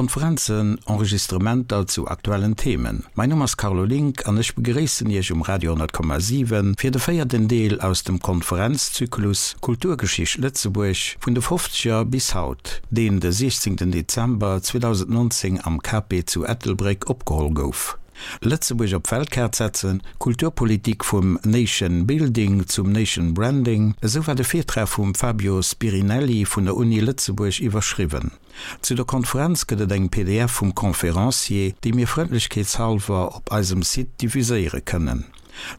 Konferenzen, Enregistrementer zu aktuellen Themen. Mein Numm ass Carlo Link an ech begréissen Iech um Radio 10,7 fir de véierten Deel aus dem Konferenzzyklus Kulturgeschicht Lëtzebuerg vun de Fofzeger bis haut, deen de 16 Dezember 2019 am KP zu Ettelbréck opgeholl gouf. Lëtzebuerg op d'Weltkaart setzen, Kulturpolitik vum Nation Building zum Nation Branding, esou war de Virtrag vum Fabio Spirinelli vun der Uni Lëtzebuerg iwwerschriwwen. Zu der Konferenz gëtt et eng pdf vum Conférencier, déi mir frëndlechkeetshallwer op eisem Site diffuséiere kënnen.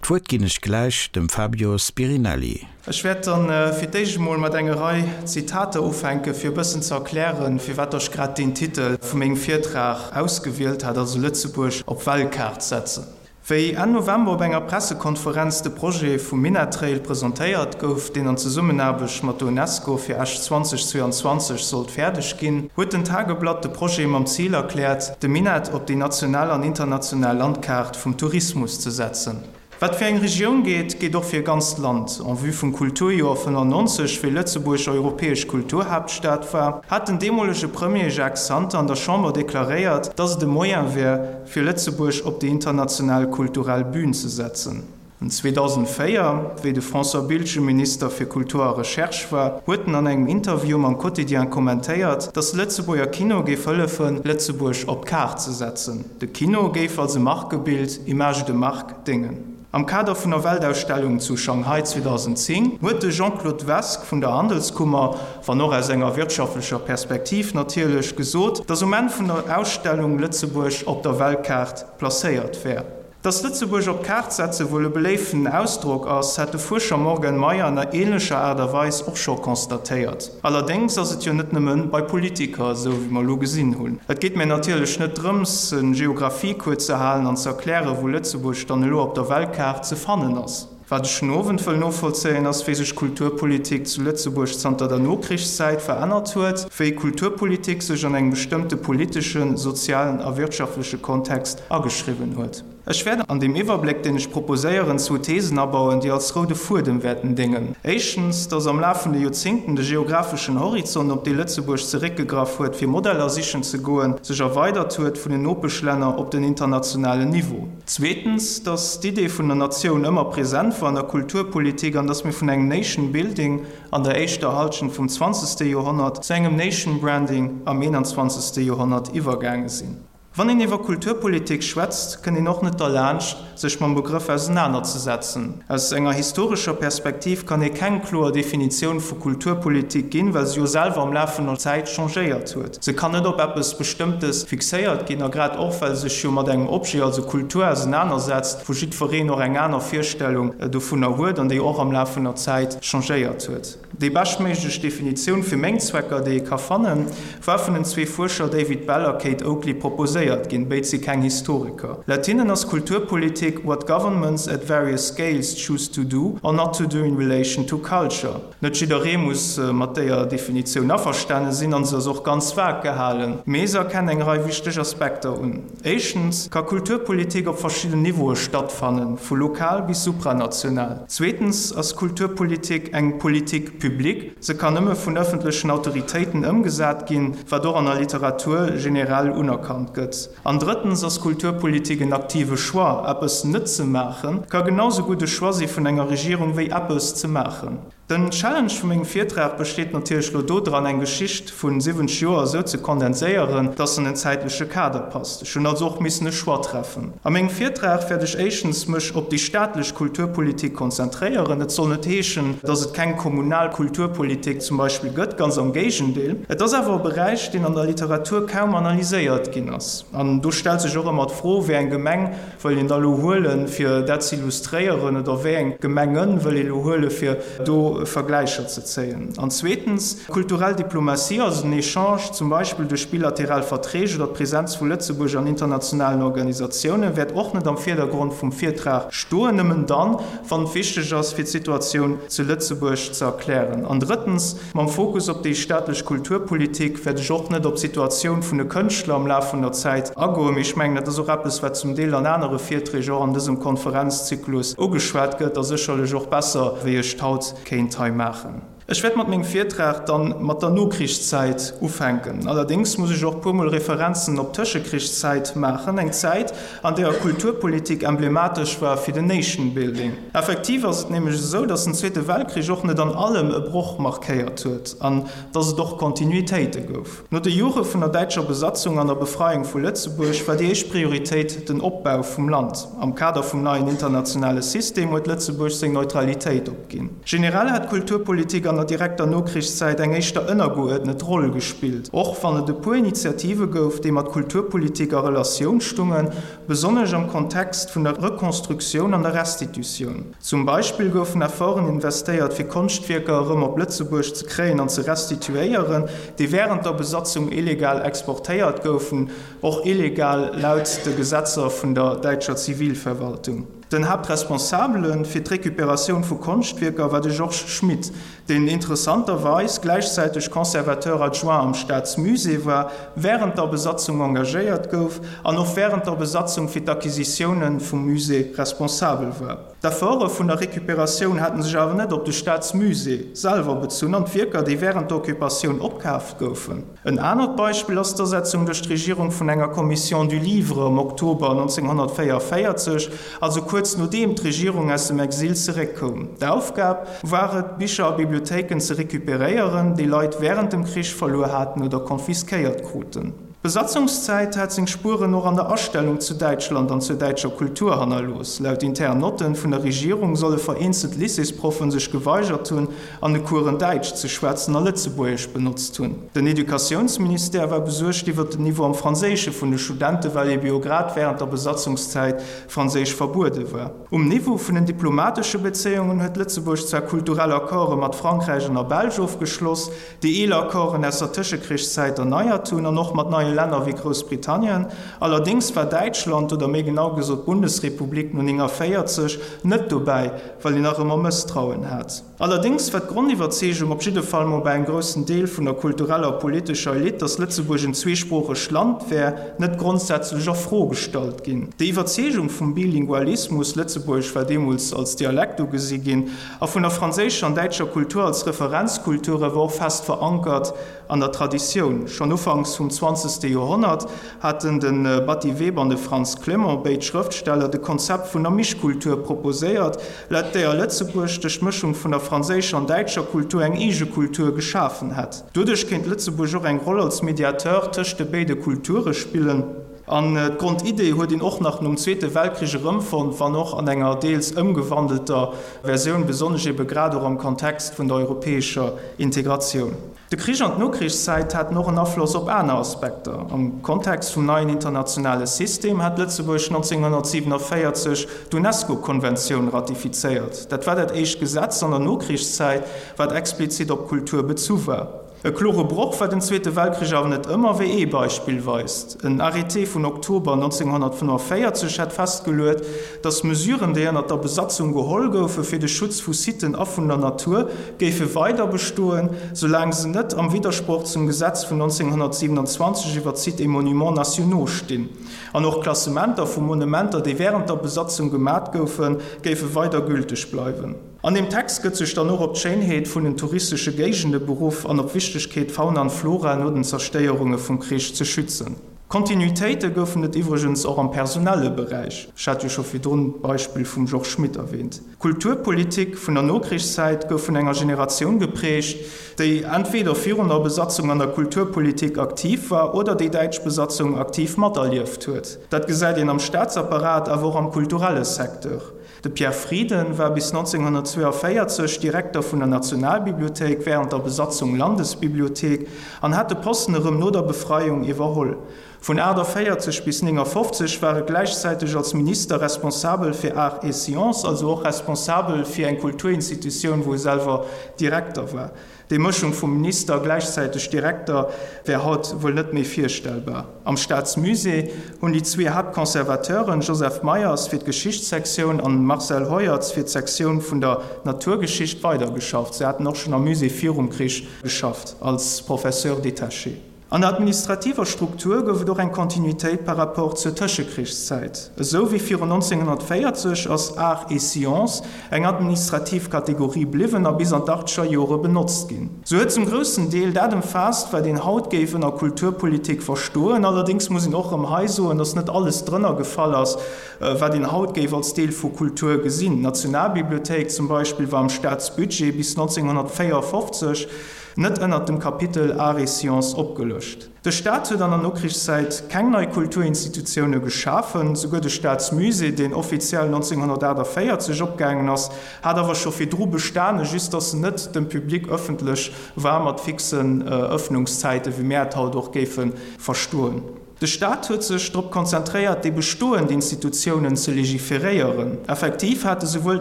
D'Wuert ginn ech gläich dem Fabio Spirinelli. Ech wäert dann fir d'éischt emol mat enger Rei Zitater ufänken, fir e bëssen ze erklären, firwat ech grad deen Titel vu mengem Virtrag ausgewielt hat, also Lëtzebuerg op Weltkaart setzen. Wéi Enn November op enger Pressekonferenz de Projet vum Minettrail presentéiert gouf, deen an Zesummenaarbecht mat der Unesco fir Esch 2022 sollt fäerdeg ginn, huet den Tageblatt de Projet mam Zil erkläert, de Minett op déi national an international Landkaart vum Tourismus ze setzen. Wat fir eng Regioun geet, geet och fir e ganzt Land. En vue vum Kulturjoer 95, wéi Lëtzebuerg europäesch Kulturhaaptstad war, hat den deemolege Premier Jacques Santer an der Chamber deklaréiert, datt et e Moyen wär, fir Lëtzebuerg op déi international kulturell Bün ze setzen. En 2004, wéi de François Biltgen Minister fir Kultur a Recherche war, huet en an engem Interview mam Quotidien kommentéiert, datt de Lëtzebuerger Kino géif hëllefen, Lëtzebuerg op d'Kaart ze setzen. De Kino géif als e Markebild, Image de marque, déngen. Am Kader vun der Weltausstellung zu Shanghai 2010 huet de Jean-Claude Vesque vun der Handelskummer, wann och aus enger wirtschaftlecher Perspektiv natierlech, gesot, datt um Enn vun der Ausstellung Lëtzebuerg op der Weltkaart placéiert wär. Datt Lëtzebuerg op d'Kaart setze wuel e beléiften Ausdrock ass, hat de Fuerscher Morgan Meyer an änlecher Aart a Weis och scho constatéiert. Allerdéngs ass et jo net nëmme bei Politiker esou, wéi mer elo gesinn hunn. Et geet mir natierlech net drëms, e Geographiecours ze halen an ze erklären, wou Lëtzebuerg dann elo op der Weltkaart ze fannen ass. Wat ech den Owend wëll novollzéien, ass, wéi sech Kulturpolitik zu Lëtzebuerg zanter der Nokrichszäit verännert huet, wéi Kulturpolitik sech an engem bestëmmte politeschen, sozialen a wirtschaftleche Kontext ageschriwwen huet. Ech wäert an deem Iwwerbléck, deen ech proposéieren, zwou Thesen abauen, déi als roude Fuedem wäerten déngen. Éischtens, dass am Laf vun de Joerzéngten de geographeschen Horizont, op dee Lëtzebuerg zeréckgegraff huet, fir Modeller sichen ze goen, sech erweidert huet vun den Nopeschlänner op den internationalen Niveau. Zweetens, dass d'Idee vun der Natioun ëmmer present war an der Kulturpolitik an dass mir vun engem Nation Building an der éischter Halschent vum zwanzegste Joerhonnert zu engem Nation Branding am eenanzwanzegste Joerhonnert iwwergaange sinn. Wann een iwwer Kulturpolitik schwätzt, kënnt een och net derlaanscht, sech mam Begrëff ausenanerzesetzen. Aus enger historescher Perspektiv kann ee keng kloer Definitioun vu Kulturpolitik ginn, well se jo selwer am Laf vun der Zäit changéiert huet. Se kann net op eppes Bestëmmtes fixéiert ginn, a grad och, well se sech jo mat engem Objet, also Kultur, ausenanersetzt, wou jiddwereen och eng aner Virstellung dovunner huet an déi och am Laf vun der Zäit changéiert huet. Déi beschtméiglech Definitioun fir meng Zwecker, déi ee ka fannen, war vun den zwee Fuerscher David Bell a Kate Oakley proposéiert ginn, béid si keng Historiker. Laut hinnen ass Kulturpolitik what governments at various scales choose to do or not to do in relation to culture. Net jidderee muss mat déier Definitioun averstane sinn an se ass och ganz vag gehalen, mee se erkennt eng Rei wichteg Aspekter un. Éischtens ka Kulturpolitik op verschidden Niveaue stattfannen, vu lokal bis supranational. Zweetens ass Kulturpolitik eng Politique publique, se kann nëmme vun ëffentlechen Autoritéiten ëmgesat ginn, wat och an der Literatur generell unerkannt gëtt. An drëttens ass Kulturpolitik en aktive Choix, eppes net ze maachen, ka genau sou gutt e Choix si vun enger Regierung wéi eppes ze maachen. Den Challenge vu mengem Virtrag besteet natierlech lo dodran, eng Geschicht vun 70 Joer esou ze kondenséieren, dass se an en zäitleche Kader passt. Ech hunn also och missen e Choix treffen. A mengem Virtrag wäert ech éischtens mech op déi staatlech Kulturpolitik konzentréieren. Et soll net heeschen, dass et keng kommunal Kulturpolitik zum Beispill gëtt, ganz am Géigendeel. Et ass awer e Beräich, deen an der Literatur kaum analyséiert ginn ass. An do stellt sech och ëmmer d'Fro, wéi eng Gemeng wëll een da lo huelen, fir dat ze illustréieren, oder wéi eng Gemengen wëll ee lo huelen, fir do Vergläicher ze zéien? An zweetens, kulturell Diplomatie, also den Echange zum Beispill duerch bilateral Verträg oder d'Presenz vu Lëtzebuerg an internationalen Organisatiounen, wäert och net am Virdergrond vum Virtrag stoen, nëmmen dann, wann et wichteg ass, fir d'Situatioun zu Lëtzebuerg ze erklären. An drëttens, Mam Fokus op déi staatlech Kulturpolitik wäert ech och net op d'Situatioun vun de Kënschtler am Laf vun der Zäit agoen, mee ech mengen, dat ass och eppes, wat zum Deel an anere Virträg och an dësem Konferenzzyklus ugeschwat gëtt a sécherlech och besser, wéi ech et haut kéint hei maachen. Ech wäert mat mengem Virtrag dann mat der Nokrichszäit ufänken. Allerdéngs muss ech och puermol Referenzen op d'Tëschekrichszäit maachen, eng Zäit, an deeër Kulturpolitik emblematesch war fir den Nation Building. Effektiv ass et nämlech esou, dass den Zweete Weltkrich och net an allem e Broch markéiert huet an dass et och Kontinuitéite gouf. No de Jore vun der däitscher Besatzung an der Befreiung vu Lëtzebuerg war déi éischt Prioritéit den Opbau vum Land. Am Kader vum neien internationale System huet Lëtzebuerg seng Neutralitéit opginn. Generell hat d'Kulturpolitik an der direkter Nokrichszäit eng éischter ënnergeuerdnet Roll gespillt, och wann et e puer Initiative gouf, déi mat Kulturpolitik a Relatioun stungen, besonnesch am Kontext vun der Rekonstruktioun an der Restitutioun. Zum Beispill goufen Efforten investéiert, fir Konschtwierker erëm op Lëtzebuerg ze kréien an ze restituéieren, déi wärend der Besatzung illegal exportéiert goufen, och illegal laut de Gesetzer vun der däitscher Zivilverwaltung. Den Haaptresponsabele fir d'Recuperatioun vu Konschtwierker war de Georges Schmitt, deen interessanterweis gläichzäiteg Conservateur adjoint am Staatsmusée war, wärend der Besatzung engagéiert gouf an och wärend der Besatzung fir d'Acquisitioune vum Musée responsabel war. D'Efforte vun der Recuperatioun haten sech awer net op de Staatsmusée selwer bezunn an d'Wierker, déi wärend der Occupatioun opkaaft goufen. En anert Beispill ass d'Asetzung duerch d'Regierung vun enger Commission du Livre am Oktober 1944, also kuerz nodeem d'Regierung aus dem Exil zeréckkoum. D'Aufgab war et, Bicher a Bibliothéiken ze recuperéieren, déi Leit wärend dem Krich verluer haten oder konfiskéiert kruten. D'Besatzungszäit hat seng Spueren och an der Astellung zu Däitschland an zur däitscher Kultur hannerlooss. Laut internen Notten vun der Regierung solle vereenzelt Lycéesproffen sech geweigert hunn, an de Coursen Däitsch ze schwätzen a Lëtzebuergesch benotzt hunn. Den Educatiounsministère war besuergt iwwer den Niveau am Franséische vun de Studenten, well ebe jo grad wärend der Besatzungszäit Franséisch verbuede war. Um Niveau vun den diplomatesche Bezéiungen huet Lëtzebuerg zwar kulturell Accorde mat Frankräich an der Belsch ofgeschloss, déi eeler Accorden aus der Tëschekrichszäit erneiert hunn an och mat neie Länner wéi Groussbritannien. Allerdéngs war Däitschland, oder méi genau gesot d'Bundesrepublik no 49, net dobäi, well een nach ëmmer Mësstrauen hat. Allerdéngs war d'Grondiwwerzeegung, op jidde Fall mol bei engem groussen Deel vun der kultureller a politescher Elite, datt Lëtzebuerg en zweesproochegt Land wär, net grondsätzlech a Fro gestallt ginn. Déi Iwwerzeegung vum Bilingualismus, Lëtzebuergesch war deemools als Dialekt ugesi ginn, a vun der franséischer an däitscher Kultur als Referenzkulture war och fest verankert An der Traditioun, schonn ufanks vum zwanzegste Joerhonnert haten de Batty Weber an de Frantz Clement, béid Schrëftsteller, de Konzept vun der Mischkultur proposéiert, laut deeër Lëtzebuerg duerch d'Mëschung vun der franséischer an däitscher Kultur eng eege Kultur geschafen hätt. Doduerch kéint Lëtzebuerg och eng Roll als Mediateur tëscht de béide Kulture spillen. An d'Grondidee huet een och nach nom Zweete Weltkrich erëmfonnt, wann och an enger deels ëmgewandelter Versioun, besonnesch ebe grad och am Kontext vun der europäescher Integratioun. De Krich an d'Nokrichszäit haten och en Afloss op aner Aspekter. Am Kontext vum neien internationale System hat Lëtzebuerg 1947 d'UNESCO-Konventioun ratifizéiert. Dat war dat éischt Gesetz an der Nokrichszäit, wat explizit op Kultur bezu war. E klore Broch war den Zweete Weltkrich awer net ëmmer, wéi ee Beispill weist. En Arrêté vun Oktober 1945 hat festgeluet, datt Mesuren, déi ënner der Besatzung geholl goufe fir de Schutz vu Siten a vun der Natur, géife weider bestoen, soulaang se net am Widdersproch zum Gesetz vun 1927 iwwer d'Sites et Monuments nationaux stinn. An och Klassementer vu Monumenter, déi wärend der Besatzung gemat goufen, géife weider gülteg bleiwen. An deem Text gëtt sech dann och op d'Schéinheet vun den touristesche Géigende beruff an op d'Wichtegkeet, d'Fauna an d'Flora no den Zerstéierunge vum Krich ze schützen. Kontinuitéite goufen et iwwregens och am personelle Beräich. Ech hat jo scho virdrun d'Beispill vum Georges Schmit erwähnt. D'Kulturpolitik vun der Nokrichszäit gouf vun enger Generatioun geprägt, déi entweder virun der Besatzung an der Kulturpolitik aktiv war oder déi däitsch Besatzung aktiv materlieft huet. Dat gesäit een am Staatsapparat, awer och am kulturelle Secteur. De Pierre Frieden war bis 1942 Direkter vun der Nationalbibliothéik, wärend der Besatzung Landesbibliothéik, an hat de Posten erëm no der Befreiung iwwerholl. Vun 48 bis 59 war e gläichzäiteg als Minister responsabel fir Arts et Sciences, also och responsabel fir eng Kulturinstitutioun, wou e selwer Direkter war. Déi Mëschung vum Minister, gläichzäiteg Direkter, wär haut wuel net méi virstellbar. Am Staatsmusée hunn déi zwee Haaptconservateuren, Joseph Meyers fir d'Geschichtssektioun an Marcel Heuertz fir d'Sektioun vun der Naturgeschicht, weidergeschafft. Se haten och schonn am Musée virum Krich geschafft als Professeur détaché. An der administrativer Struktur gouf et och eng Kontinuitéit par rapport zur Tëschekrichszäit. Esou wéi virun 1940 ass Arts et Sciences eng administrativ Kategorie bliwwen a bis an d'Achtzeger Jore benotzt ginn. Se huet zum groussen Deel dat ëmfaasst, wat een haut géif ënner Kulturpolitik verstoen. Allerdéngs muss een och erëm hei soen, datt net alles drënner gefall ass, wat een haut géif als Deel vu Kultur gesinn. D'Nationalbibliothéik zum Beispill war am Staatsbudget bis 1954 net ënnert dem Kapitel Arts et Sciences opgelëscht. De Staat huet an der Nokrichszäit keng nei Kulturinstitutioune geschafen. Souguer de Staatsmusée, deen offiziell 1948 opgaangen ass, hat awer scho virdru bestane, just datt en net dem Public ëffentlech war mat fixen Ëffnungszäiten, wéi mär et haut och géife verstoen. De Staat huet sech drop konzentréiert, déi bestoend Institutiounen ze legiferéieren. Effektiv hate souwuel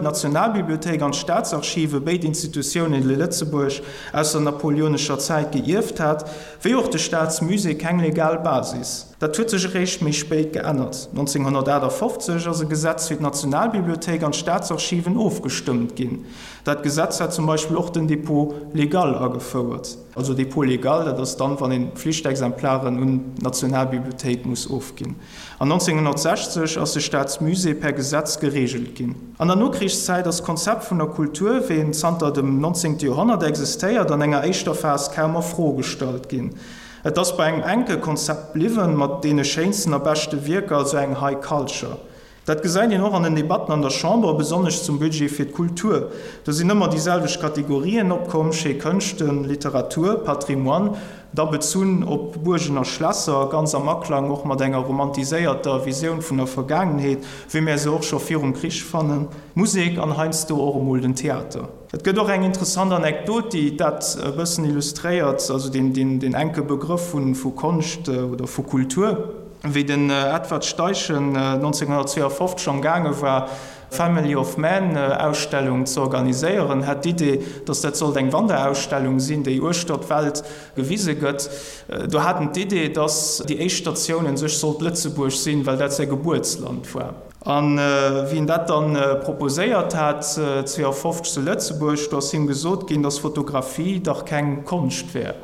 d'Nationalbibliothéik an d'Staatsarchive, béid Institutiounen, déi Lëtzebuerg aus der napoleonescher Zäit geierft hat, wéi och de Staatsmusée keng legal Basis. Dat huet sech eréischt méi spéit geännert. 1958 ass e Gesetz fir d'Nationalbibliothéik an d'Staatsarchiven ofgestëmmt ginn. Dat Gesetz hat zum Beispill och den Dépôt légal agefouert. Also Dépôt légal, dat ass dann, wann een Pflichtexemplaren un d'Nationalbibliothéik muss ofginn. An 1960 ass de Staatsmusée per Gesetz gereegelt ginn. An der Nokrichszäit ass d'Konzept vun der Kultur, wéi en zanter dem 19. Joerhonnert existéiert, an enger éischter Phas kaum a Fro gestallt ginn. Et ass bei engem enke Konzept bliwwen, mat deene schéinsten a beschte Wierker, also eng High Culture. Dat gesäit een och an den Debatten an der Chamber, besonnesch zum Budget fir d'Kultur. Do sinn ëmmer déi selwecht Kategorien opkomm, schéi Kënschten, Literatur, Patrimoine, da bezunn op Buergen a Schlässer, ganz am Aklang och mat enger romantiséierter Visioun vun der Vergaangenheet, wéi mär se och scho virum Krich fannen, d'Musek an heiansdo och emol den Theater. Et gëtt och eng interessant Anekdot, déi dat e bëssen illustréiert, also deen enke Begrëff vu Konscht oder vu Kultur. Wéi den Edward Steichen 1952 am gaange war, Family of Man Ausstellung ze organiséieren, hat d'Idee, datt dat sollt eng Wanderausstellung sinn, déi uechter d'Welt gewise gëtt. Do hat en d'Idee, datt déi éischt Statioun un sech sollt Lëtzebuerg sinn, well dat säi Gebuertsland war. A wéi en dat dann proposéiert hat, 52 zu Lëtzebuerg, do ass him gesot ginn, datt Fotografie dach keng Konscht wär.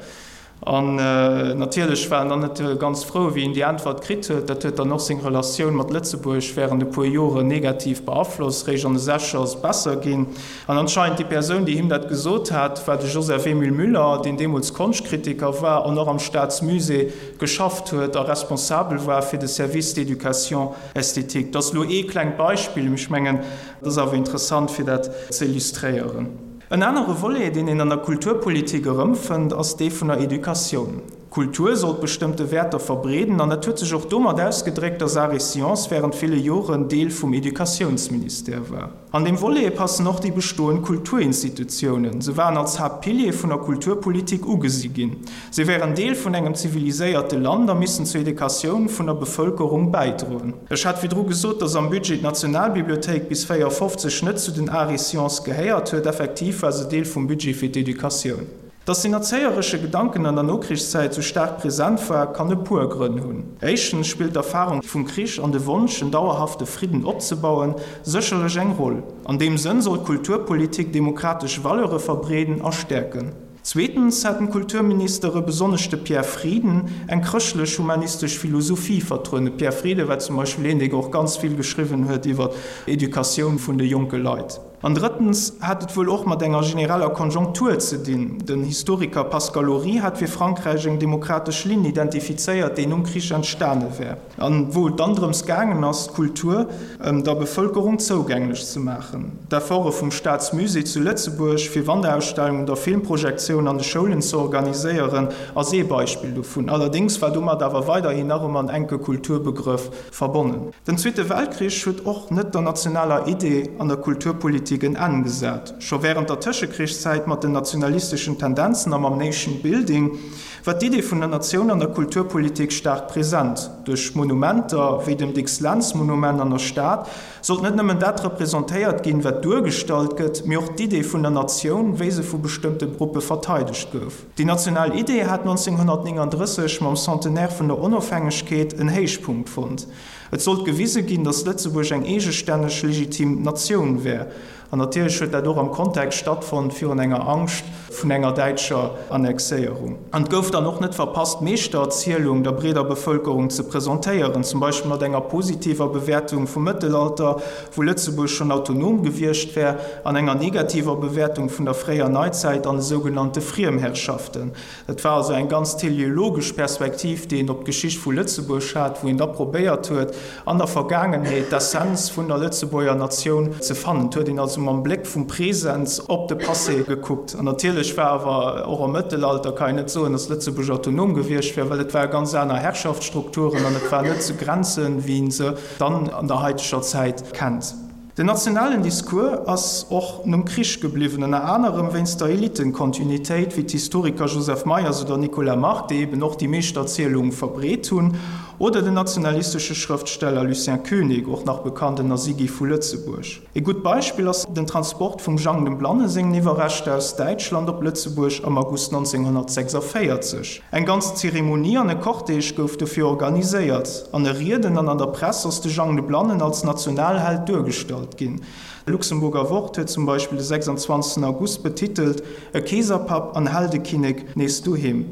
An natierlech war en dann net ganz frou, wéi en déi Äntwert kritt huet. Dat huet dann och seng Relatioun mat Lëtzebuerg wärend e puer Joren negativ beaflosst. Réischt an de Sechzeger ass et besser ginn. An anscheinend déi Persoun, déi him dat gesot hat, war de Joseph-Émile Müller, deen deemools Konschtkritiker war an och am Staatsmusée geschafft huet a responsabel war fir de Service d'éducation esthétique. Dat ass elo ee klengt Beispill, mee ech mengen, et ass awer interessant, fir dat ze illustréieren. En anere Volet, deen een an der Kulturpolitik erëmfënnt, ass dee vun der Educatioun. Kultur sollt bestëmmte Wäerter verbreeden an dat huet sech och domat ausgedréckt, dass Arts et Sciences wärend ville Joren Deel vum Educatiounsministère war. An deem Volet passen och déi bestoend Kulturinstitutiounen. Se waren als Haaptpilier vun der Kulturpolitik ugesi ginn. Se wären Deel vun engem ziviliséierte Land a missten zur Educatioun vun der Bevëlkerung bäidroen. Ech hat virdru gesot, dass am Budget d'Nationalbibliothéik bis 54 net zu den Arts et Sciences gehéiert huet. Effektiv war se Deel vum Budget fir d'Educatioun. Dass den erzéieresche Gedanken an der Nokrichszäit sou staark present war, kann e puer Grënn hunn. Éischtens spillt d'Erfarung vum Krich an de Wonsch, en dauerhafte Fridden opzebauen, sécherlech eng Roll. An deem Sënn soll d'Kulturpolitik demokratesch Valeure verbreeden a stäerken. Zweetens haten d'Kulturministere, besonnesch de Pierre Frieden, eng chrëschtlech-humanistesch Philosophie vertrueden. De Pierre Frieden war zum Beispill een, dee och ganz vill geschriwwen huet iwwer Educatioun vun de jonke Leit. An drëttens hat et wuel och mat enger genereller Konjunktur ze dinn. Den Historiker Pascal Ory hat fir Frankräich eng demokratesch Linn identifizéiert, déi nom Krich entstane wär. An wou et dann drëms gaangen ass, d'Kultur der Bevëlkerung zougänglech ze maachen. D'Efforte vum Staatsmusée zu Lëtzebuerg, fir Wanderausstellungen oder Filmprojektiounen an de Schoulen ze organiséieren, ass ee Beispill dovun. Allerdéngs war domat awer weiderhin nach ëmmer en enke Kulturbegrëff verbonnen. Den Zweete Weltkrich huet och net der nationaler Idee an der Kulturpolitik en Enn gesat. Scho wärend der Tëschekrichszäit mat den nationalisteschen Tendenzen a mam Nation Building, war d'Idee vun der Natioun an der Kulturpolitik staark present. Duerch Monumenter, wéi dem Dicks Lentz Monument an der Stad, sollt net nëmmen dat representéiert ginn, wat duergestallt gëtt, mee och d'Idee vun der Natioun, wéi se vu bestëmmte Gruppe verteidegt gouf. Déi national Idee hat 1939 mam Centenaire vun der Onofhängegkeet en Héichpunkt fonnt. Et sollt gewise ginn, datt Lëtzebuerg eng eegestänneg, legitim Natioun wär. An natierlech huet dat och am Kontext stattfonnt virun enger Angscht vun enger däitscher Annexéierung. An et gouf dann och net verpasst, d'Meeschtererzielung der breeder Bevëlkerung ze presentéieren, zum Beispill mat enger positiver Bewäertung vum Mëttelalter, wou Lëtzebuerg schonn autonom gewiescht wär, an enger negativer Bewäertung vun der fréier Neizäit an de sougenannte Friemherrschaften. Et war also eng ganz teleologesch Perspektiv, déi een op d'Geschicht vu Lëtzebuerg hat, wou een da probéiert huet, an der Vergaangenheet d'Essenz vun der Lëtzebuerger Natioun ze fannen. Et huet een also mam Bléck vum Präsens op de Passé gekuckt. An natierlech war awer och am Mëttelalter, kann een net soen, datt Lëtzebuerg autonom gewiescht wär, well et ware ganz aner Herrschaftsstrukturen an et waren net esou Grenzen, wéi een se dann an der haiteger Zäit kennt. Den nationalen Discours ass och nom Krich gebliwwen, ënner anerem wéinst der Elitenkontinuitéit, wéi d'Historiker Joseph Meyers oder Nicolas Margue, déi eben och déi Meeschterzielung verbreet hunn, oder den nationalistesche Schrëftsteller Lucien Koenig, och nach bekannt ënner Sigi vu Lëtzebuerg. E gutt Beispill ass den Transport vum Jang dem Blanne sengen Iwwerreschter aus Däitschland op Lëtzebuerg am August 1946. Eng ganz Zeremonie an e Cortège gouf dofir organiséiert. An e Rieden an an der Press ass de Jang de Blannen als Nationalheld duergestallt ginn. D'Luxemburger Wort huet zum Beispill de 26 August betitelt, E Keeserpapp an Heldekinnek nees doheem.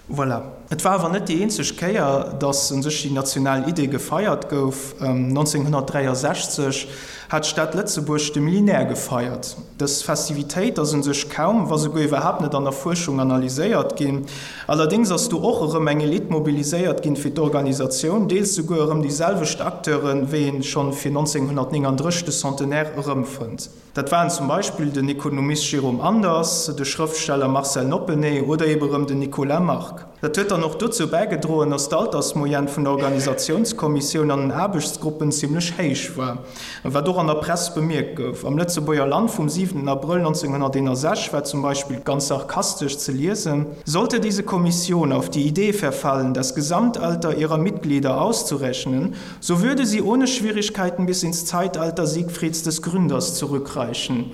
Voilà. Et war awer net déi eenzeg Kéier, datt un sech déi national Idee gefeiert gouf. 1963 hat d'Stad Lëtzebuerg de Millénaire gefeiert. Dës Festivitéit ass un sech kaum, wa souguer iwwerhaapt net an der Fuerschung analyséiert ginn. Allerdéngs ass do och erëm eng Elite mobiliséiert ginn fir d'Organisatioun, deels souguer erëm déi selwecht Acteuren, wéi een schonn fir 1939 de Centenaire erëmfënnt. Dat waren zum Beispill den Ekonomist Jérôme Anders, de Schrëftsteller Marcel Noppeney oder ebe rëm den Nicolas Margue. Dat huet dann och dozou bäigedroen, datt d'Altersmoyenne vun der Organisatiounskommissioun an den Aarbechtsgruppen zimlech héich war, wat och an der Press bemierkt gouf. Am Lëtzebuerger Land vum 7 Abrëll 1961 war zum Beispill ganz sarkastesch ze liesen, Sollte diese Kommission auf die Idee verfallen, das Gesamtalter ihrer Mitglieder auszurechnen, So würde sie ohne Schwierigkeiten bis ins Zeitalter Siegfrieds des Gründers zurückreichen.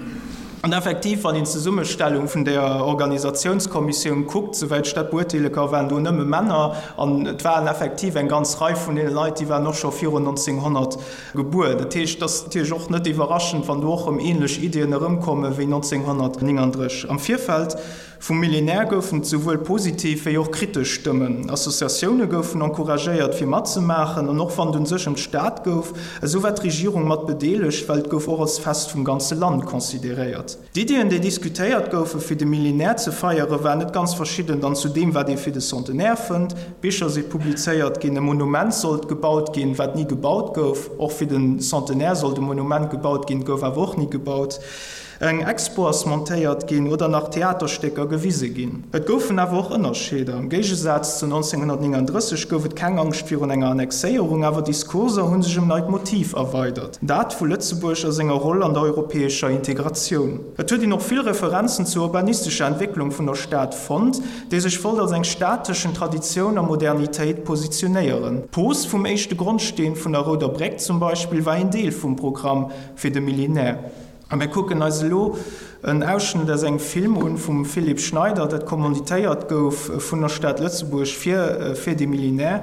An effektiv, wann een d'Zesummestellung vun der Organisatiounskommissioun kuckt, souwäit ech dat beurteele ka, waren do nëmme Männer. An et waren effektiv eng ganz Rei vun deene Leit, déi waren och scho virun 1900 gebuer. Dat heescht, et ass natierlech och net iwwerraschend, wann do och erëm ähnlech Iddien erëmkomme wéi 1939. Am Virfeld Vum Millénaire goufen et souwuel positiv wéi och kritesch Stëmmen. Associatioune goufen encouragéiert fir matzemaachen an och wann et un sech ëm d'Stad gouf, esou war d'Regierung mat bedeelegt, well et gouf och als Fest vum ganze Land consideréiert. D'Iddien déi diskutéiert goufe fir de Millénaire ze feiere waren net ganz verschidden dann zu deem wat ee fir de Centenaire fënnt. Bicher si publizéiert ginn, e Monument sollt gebaut ginn, wat ni gebaut gouf. Och fir den Centenaire sollt e Monument gebaut ginn, gouf awer och ni gebaut. Eng Expo ass montéiert ginn oder nach Theaterstécker gewise ginn. Et goufen awer och Ënnerscheeder. Am Géigesaz zu 1939 gouf et keng Angscht virun enger Annexéierung, awer Discourser hu sech ëm neit Motiv erweidert, dat vu Lëtzebuerg a senger Roll an der europäescher Integratioun. Et huet een och vill Referenzen zur urbanistescher Entwécklung vun der Stad fonnt, déi sech wollt als eng Stad tëschent Traditioun a Modernitéit positionéieren. D'Pose vum éischte Grondsteen vun der Rouder Bréck zum Beispill war een Deel vum Programm fir de Millénaire. A mir kucken eis elo en Ausschnëtt aus engem Film un vum Philippe Schneider, dat commanditéiert gouf vun der Stad Lëtzebuerg fir fir de Millénaire,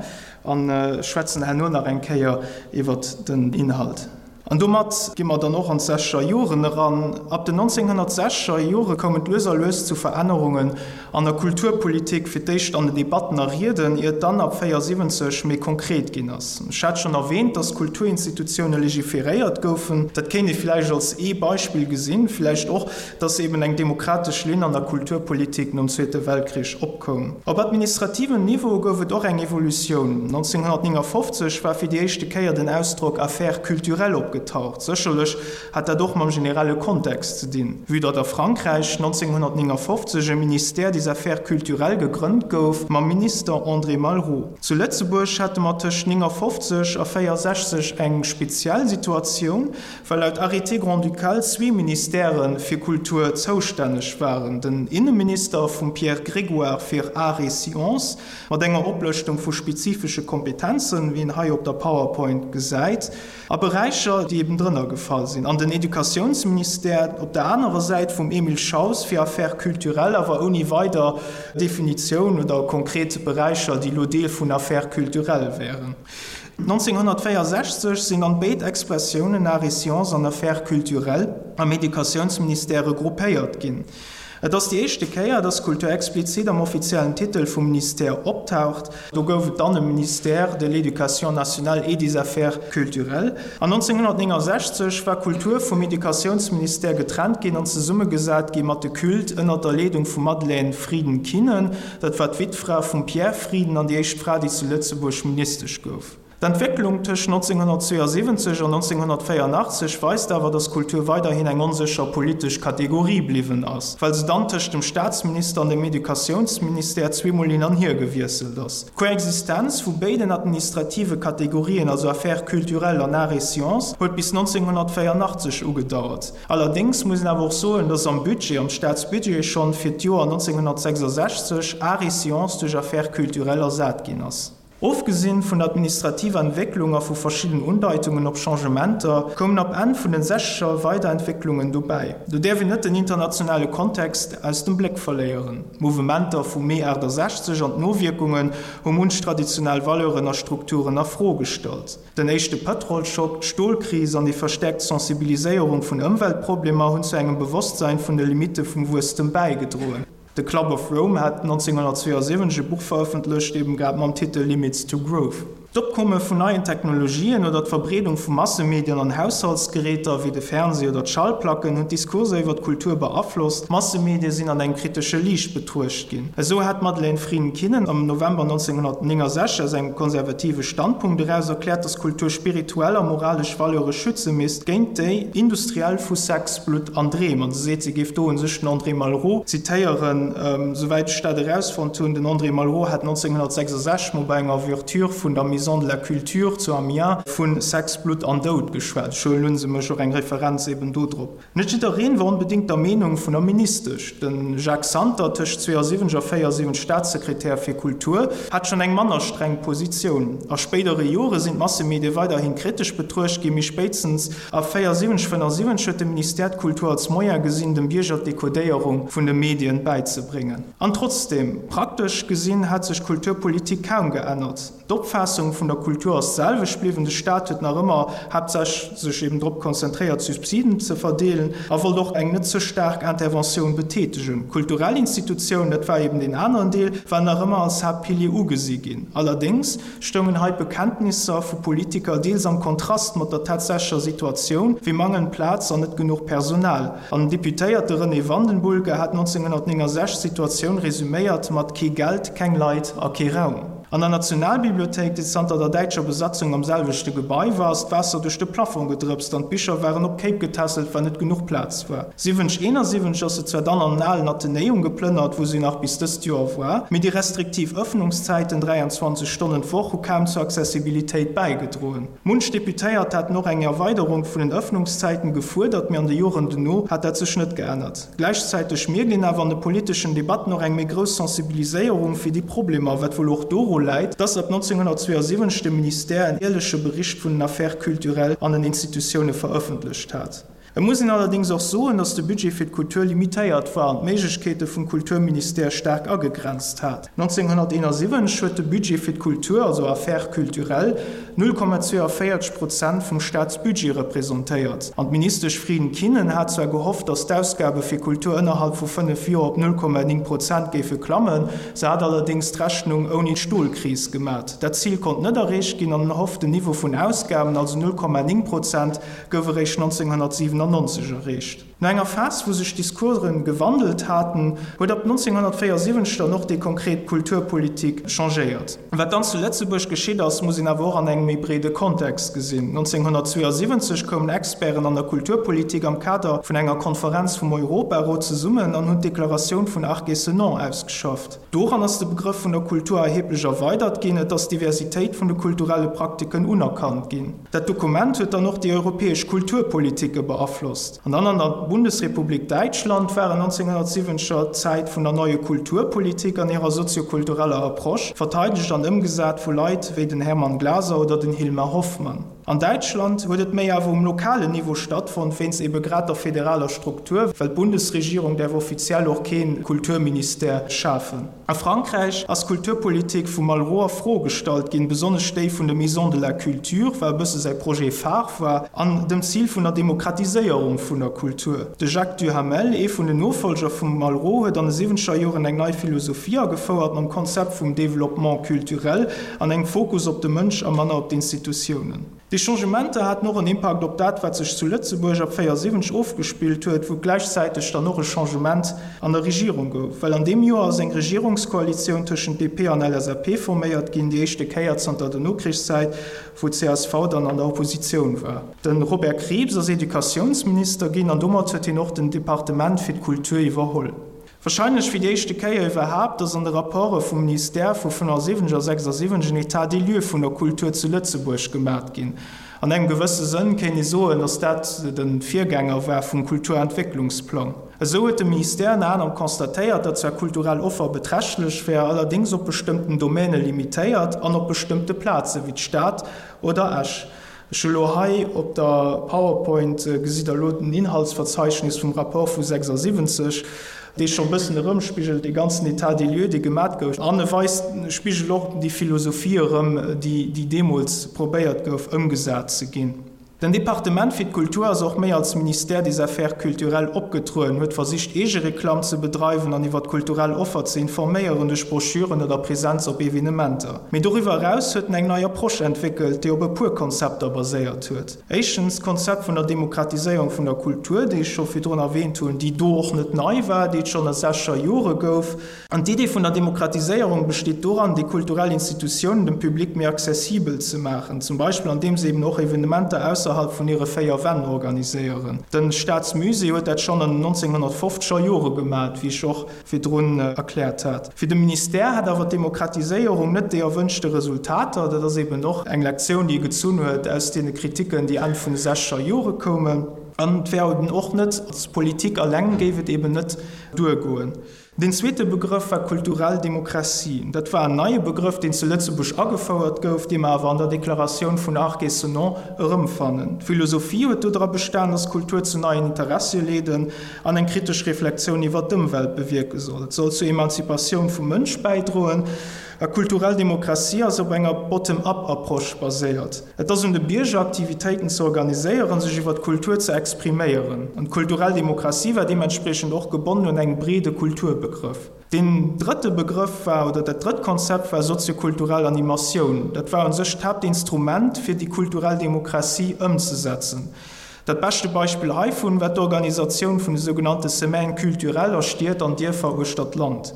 a schwätzen herno nach eng Kéier iwwert den Inhalt. An domat gi mer dann och an d'sechzeger Joren eran. Ab den 1960er Jore koum et lues a lues zu Verännerungen an der Kulturpolitik, fir d'éischt an den Debatten a Rieden, ier et dann ab 74 méi konkret ginn ass. Ech hat schonn erwähnt, dass d'Kulturinstitutioune legiferéiert goufen. Dat kéint ee vläicht als ee Beispill gesinn, vläicht och, dass eben eng demokratesch Linn an der Kulturpolitik nom Zweete Weltkrich opkoum. Op administrativem Niveau gouf et och eng Evolutioun. 1959 war fir déi éischte Kéier den Ausdrock Affaires culturelles opgetaucht. Sécherlech hat dat och mam generelle Kontext ze dinn, vue datt a Frankräich 1959 e Ministère des Affaires culturelles gegrënnt gouf mam Minister André Malraux. Zu Lëtzebuerg hate mer tëscht 59 a 64 eng speziell Situatioun, well laut Arrêté grand-ducal zwee Ministèrë fir Kultur zoustänneg waren, den Inneminister vum Pierre Grégoire fir Arts et Sciences, mat enger Oplëschtung vu spezifesche Kompetenzen, wéi een hei op der PowerPoint gesäit, A Beräicher, déi eben drënner gefall sinn. An den Educatiounsministère op der anerer Säit vum Emile Schaus fir Affaires culturelles, awer ouni weider Definitioun oder konkret Beräicher, déi elo Deel vun Affaires culturelles wären. 1964 sinn dann béid Expressiounen Arts et sciences an Affaires culturelles am Educatiounsministère regroupéiert ginn. Et ass déi éischte Kéier, dass Kultur explizit am offiziellen Titel vum Ministère optaucht. Do gouf et dann e Ministère de l'Éducation nationale et des Affaires culturelles. An 1969 war Kultur vum Educatiounsministère getrennt ginn an zesummegesat gi mat de Culte ënner der Leedung vum Madeleine Frieden-Kinnen. Dat war d'Wittfra vum Pierre Frieden an déi éischt Fra, déi zu Lëtzebuerg Ministesch gouf. D'Entwécklung tëscht 1972 an 1984 weist awer, datt Kultur weiderhin eng onsécher politesch Kategorie bliwwen ass, well se dann tëscht dem Staatsminister an dem Educatiounsministère zweemol hin an hier gewiesselt ass. D'Koexistenz vu béiden administrative Kategorien, also Affaires culturelles an Arts et sciences, huet bis 1984 ugedauert. Allerdéngs muss een awer och soen, dass am Budget, am Staatsbudget schonn fir d'Joer 1966 Arts et sciences duerch Affaires culturelles ersat ginn ass. Ofgesinn vun der administrativer Entwécklung a vu verschidden Undeitungen op Changementer, koumen ab Enn vun den sechzeger weider Entwécklungen dobäi. Do däerf een net den internationale Kontext aus dem Bléck verléieren. D'Mouvementer vum Mee 68 an d'Nowierkungen hu munch traditionell Valeuren a Strukturen a Fro gestallt. Den éischte Pëtrolschock, d'Stolkris an déi verstäerkt Sensibiliséierung vun Ëmweltproblemer hunn zu engem Bewosstsein vun de Limitte vum Wuesstem bäigedroen. De Club of Rome hat 1972 e Buch verëffentlecht, eben grad mam Titel Limits to Growth. D'Opkomme vun neien Technologien oder d'Verbreedung vu Massemedien an Haushaltsgeräter, wéi de Fernseh oder d'Schallplacken, hunn d'Diskurser iwwer d'Kultur beaflosst. D'Massemedie sinn an engem kritesche Liicht betruecht ginn. Esou hat d'Madeleine Frieden-Kinnen am November 1969 aus engem konservative Standpunkt eraus erkläert, datt Kultur spirituell a moralesch Valeure schütze misst géint déi industriell vu Sex, Blutt an Dreem. An se seet, se géif do un sech den André Malraux zitéieren. Souwäit ech dat erausfonnt hunn, den André Malraux hat 1966 mol bei enger Ouverture vun der Maison de la Culture zu Amiens vu Sex, Blutt an Doud geschwat. Ech huelen un, se mécht och eng Referenz eben do drop. Net jiddereen war onbedéngt der Meenung vun der Ministesch. De Jacques Santer, tëscht 72 a 74 Staatssekretär fir Kultur, hat schonn eng manner streng Positioun. A spéidere Jore sinn d'Massemedie weiderhi kritesch betruecht ginn, mee spéitstens A 74, 75 huet de Ministère d'Kultur als Moyen gesinn, dem Bierger d'Decodéierung vun de Medien bäizebréngen. An trotzdeem, praktesch gesinn hat sech d'Kulturpolitik kaum geännert. D'Opfaassung vun der Kultur ass d'selwecht bliwwen, de Staat huet nach ëmmer haaptsächlech sech eben drop konzentréiert, Subsiden ze verdeelen a wollt och eng net ze staark Interventioun betätegen. Kulturell Institutiounen, dat war eben deen aneren Deel, waren nach ëmmer als Haaptpilier ugesi ginn. Allerdéngs stoungen hei d'Bekenntnisser vu Politiker deels am Kontrast mat der tatsächlecher Situatioun, wéi mangelnd Plaz an net genuch Personal. An den Deputéierte René Vandenbulcke hat 1969 d'Situatioun resuméiert mat Kee Geld, keng Leit a kee Raum. An der Nationalbibliothéik, déi zanter der däitscher Besatzung am selwechte Gebai war, ass d'Waasser duerch de Plafong gedrëpst an d'Bicher waren op Kéip getässelt, well net genuch Plaz war. 7071 ass se zwar dann an den alen Athenäum geplënnert, wou se nach bis dëst Joer war, mee déi restriktiv Ëffnungszäiten, 23 Stonnen d'Woch, hu kaum zur Accessibilitéit bäigedroen. Munch Deputéiert haten och eng Erweiderung vun den Ëffnungszäiten gefuerdert, mee an de Joren dono hat dat sech net geännert. Gläichzäiteg mierkt een awer an de politeschen Debatten och eng méi grouss Sensibiliséierung fir déi Problemer, wat wuel och doru läit, dass ab 1972 de Ministère en jäerleche Bericht vun den Affaires culturelles an den Institutioune verëffentlecht hat. Et muss een allerdéngs och soen, datt de Budget fir d'Kultur limitéiert war an d'Méiglechkeete vum Kulturministère staark agegrenzt hat. 1971 huet de Budget fir d'Kultur, also Affaires culturelles, 0,42 Prozent vum Staatsbudget representéiert. An d'Ministesch Frieden-Kinnen hat zwar gehofft, datt d'Ausgabe fir Kultur ënnerhalb vu 5 Joer op 0,9 Prozent géife klammen, se hat allerdéngs d'Rechnung ouni d'Stolkris gemat. Dat Zil konnt net erreecht ginn an den erhofften Niveau vun Ausgaben, also 0,9 Prozent, gouf eréischt 1997 erreecht. No enger Phas, wou sech d'Discoursen gewandelt haten, huet ab 1974 dann och déi konkret Kulturpolitik changéiert. Wat dann zu Lëtzebuerg geschitt ass, muss een awer och an engem méi breede Kontext gesinn. 1972 koumen Experten an der Kulturpolitik am Kader vun enger Konferenz vum Europarot zesummen an hunn d'Deklaratioun vun Arc-et-Senans ausgeschafft. Doran ass de Begrëff vun der Kultur erheblech erweidert ginn, et ass d'Diversitéit vun de kulturelle Praktiken unerkannt ginn. Dat Dokument huet dann och déi europäesch Kulturpolitike beaflosst. An dann an der Bundesrepublik Däitschland waren 1970er d'Zäit vun der Neue Kulturpolitik an hirer soziokultureller Approche, verteidegt an ëmgesat vu Leit wéi den Hermann Glaser oder den Hilmar Hoffmann. An Däitschland huet et méi awer um lokalen Niveau stattfonnt, wéinst ebe grad der federaler Struktur, well d'Bundesregierung däerf offiziell och kee Kulturministère schafen. A Frankräich ass d'Kulturpolitik vum Malraux a Fro gestallt ginn, besonnesch déi vun de Maisons de la Culture, war e bësse säi Projet phare war, an dem Zil vun der Demokratiséierung vun der Kultur. De Jacques Duhamel, ee vun den Nofollger vum Malraux, huet an de siwwenzeger Joren eng nei Philosophie agefouert mam Konzept vum Développement culturel an engem Fokus op de Mënsch a manner op d'Institutiounen. Déi Changementer haten och en Impakt op dat, wat sech zu Lëtzebuerg ab 74 ofgespillt huet, wou gläichzäiteg dann och e Changement an der Regierung gouf. Well an deem Joer ass eng Regierungskoalitioun tëschent DP an LSAP forméiert ginn, déi éischte Kéier zanter der Nokrichszäit, wou csv dann an der Oppositioun war. De Robert Krieps ass Educatiounsminister ginn an domat huet hien och den Departement fir d'Kultur iwwerholl. Wahrscheinlech fir déi éischte Kéier iwwerhaapt ass an de Rapporte vum Ministère vu 75 a 76 en État des lieux vun der Kultur zu Lëtzebuerg gemat ginn. An engem gewësse Sënn kéint ee soen, datt dat de Virgänger war vum Kulturentwécklungsplang. Esou huet de Ministère ënner anerem constatéiert, datt zwar kulturell Offer beträchtlech wär, allerdéngs op bestëmmten Domäne limitéiert an op bestëmmte Plaze wéi d'Stad oder Esch. Ech hu lo hei op der PowerPoint, gesitt Der elo den Inhaltsverzeichnis vum Rapport vu 76, dee scho e bëssen erëmspigelt dee ganzen État des lieux, dee gemat gouf. An e weist, spigelt och déi Philosophie erëm, déi deemools probéiert gouf ëmgesat ze ginn. Den Departement fir d'Kultur ass och méi als Ministère des Affaires culturelles opgetrueden, huet versicht Eegereklamm ze bedreiwen an iwwer d'kulturell Offer ze informéieren duerch Broschüren oder Presenz op Evenementer. Mee doriwwer eraus huet en eng nei Approche entwéckelt, déi op e puer Konzepter baséiert huet. Éischtens d'Konzept vun der Demokratiséierung vun der Kultur, déi ech scho virdrun erwähnt hunn, déi do och net nei war, déi et schonn a sechzeger Jore gouf. An d'Idee vun der Demokratiséierung besteet doran, déi kulturell Institutiounen dem Public méi accessibel ze maachen, zum Beispill andeem se eben och Evenementer ausserhalb vun hire véier Wänn organiséieren. De Staatsmusée huet dat schonn an den 1950er Jore gemat, wéi ech och virdrun erkläert hat. Fir de Ministère hat awer d'Demokratiséierung net déi erwënschte Resultater. Dat ass eben och eng Lektioun, déi e gezunn huet aus deene Kritiken, déi Enn vun de sechzeger Jore koumen. An et wär eben och net, als Politik alleng géif et eben net duergoen. Deen zweete Begrëff war kulturell Demokratie. Dat war en neie Begrëff, deen zu Lëtzebuerg agefouert gouf, dee mer awer an der Deklaratioun vun Arc et Senones erëmfannen. D'Philosophie huet dodra bestan, dass Kultur zu neien Interessie leeden an eng kritesch Reflexioun iwwer d'Ëmwelt bewierke soll. Et soll zur Emanzipatioun vum Mënsch bäidroen. A kulturell Demokratie ass op enger Bottom-up-Approche baséiert. Et ass un de Bierger, Aktivitéiten ze organiséieren, sech iwwer d'Kultur ze expriméieren. An d'kulturell Demokratie war deementspriechend och gebonnen un engem breede Kulturbegrëff. Deen drëtte Begrëff war, oder dat drëtt Konzept war soziokulturell Animatioun. Dat war u sech d'Haaptinstrument, fir déi kulturell Demokratie ëmzesetzen. Dat beschte Beispill heivun war d'Organisatioun vun de sougenannte Semaines culturelles a Stied an Dierfer uechter d'Land.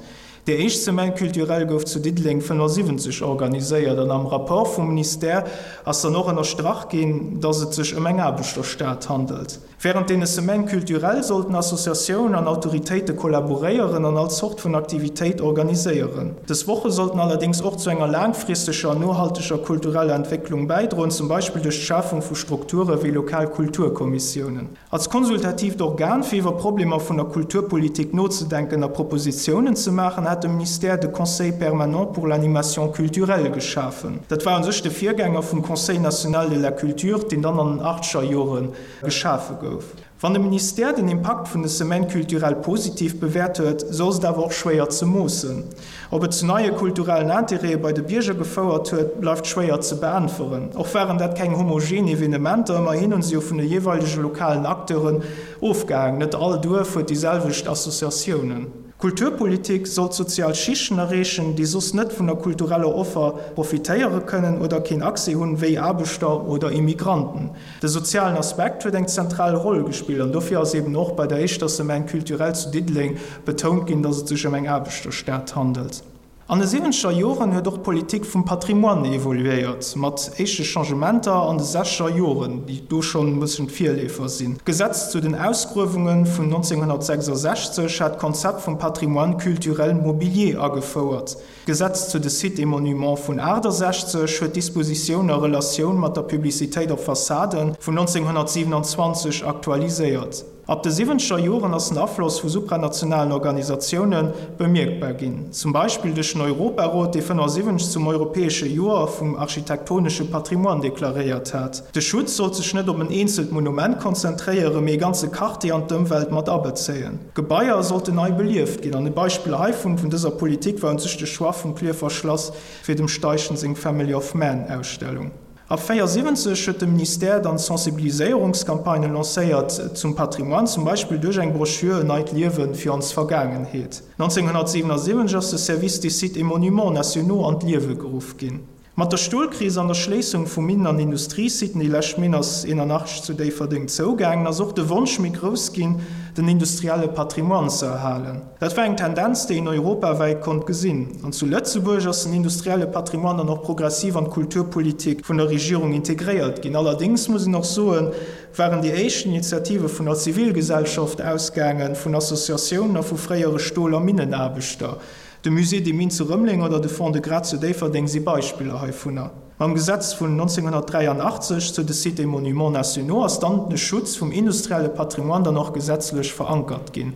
Déi éischt Semaine culturelle gouf zu Diddeleng 75 organiséiert an am Rapport vum Ministère ass dann och ënnerstrach ginn, datt et sech ëm eng Aarbechterstad handelt. Wärend deene Semaines culturelles sollten Associatiounen an Autoritéite kollaboréieren an all Zort vun Aktivitéit organiséieren. Dës Woche sollten allerdéngs och zu enger laangfristeger an nohalteger kultureller Entwécklung bäidroen, zum Beispill duerch d'Schafung vu Strukture wéi lokal Kulturkommissiounen. Als konsultatiivt Organ fir iwwer Problemer vun der Kulturpolitik nozedenken a Propositiounen ze maachen, hat de Ministère de Conseil permanent pour l'animation culturelle geschafen. Dat war u sech de Virgänger vum Conseil national de la culture, deen dann an den achtzeger Jore geschafe gouf. Wann de Ministère den Impakt vun de Semaines culturelles positiv bewäert huet, sou ass et awer och schwéier ze moossen. Ob et zu neie kulturellen Interêtë bei de Bierger gefouert huet, bleift schwéier ze beäntweren. Och waren dat keng homogen Evenementer, ëmmerhin hunn se jo vun de jeeweilege lokalen Acteuren ofgehaang. Net all Duerf huet déi selwecht Associatiounen. Kulturpolitik sollt sozial Schichten erreechen, déi soss net vun der kultureller Offer profitéiere kënnen oder keen Accès hunn, wéi Aarbechter oder Immigranten. De sozialen Aspekt huet eng zentral Roll gespillt an dofir ass eben och bei der éischter Semaine culturelle zu Diddeleng betount ginn, dass et sech ëm eng Aarbechterstad handelt. An de siwwenzeger Joren huet och d'Politik vum Patrimoine evoluéiert, mat éischte Changementer an de sechzeger Joren, déi do schonn e bësschen d'Virleefer sinn. D'Gesetz zu den Ausgruewunge vun 1966 hat d'Konzept vum Patrimoine culturel mobilier agefouert. D'Gesetz zu de Sites et Monuments vun 68 huet d'Dispositioun a Relatioun mat der Publicitéit op Fassaden vun 1927 aktualiséiert. Ab de siwwenzeger Joren ass den Afloss vu supranationalen Organisatioune bemierkbar ginn, zum Beispill duerch den Europarot, dee 75 zum Europäesche Joer vum architektonesche Patrimoine deklaréiert hat. De Schutz sollt sech net op en eenzelt Monument konzentréieren, mee e ganze Quartier an d'Ëmwelt mat abezéien. Gebaier sollten nei belieft ginn, an e Beispill heivun, vun dëser Politik, war un sech de Choix vum Klierfer Schlass fir dem Steichen seng Family of Man Ausstellung. Ab 74 huet de Ministère dann Sensibiliséierungscampagnen lancéiert zum Patrimoine, zum Beispill duerch eng Broschür En neit Liewen fir ons Vergaangenheet. 1977 ass de Service des Sites et Monuments nationaux an d'Liewe geruff ginn. Mat der Stolkris an der Schléissung vu Minen an Industriesiten, déi lescht Minn ass 81 zu Déifferdeng zougaangen, ass och de Wonsch méi grouss ginn, den industrielle Patrimoine ze erhalen. Dat war eng Tendenz, déi een europawäit konnt gesinn. An zu Lëtzebuerg ass den industrielle Patrimoine dann och progressiv an d'Kulturpolitik vun der Regierung integréiert ginn. Allerdéngs muss een och soen, waren déi éischt Initiative vun der Zivilgesellschaft ausgaangen, vun Associatiounen a vu fréiere Stol a Minnenaarbechter. De Musée des Mines zu Rëmeleng oder de Fonds de Gras zu Déifferdeng si Beispiller heivunner. Mam Gesetz vun 1983 zu de Sites et Monuments nationaux ass dann de Schutz vum industrielle Patrimoine dann och gesetzlech verankert ginn.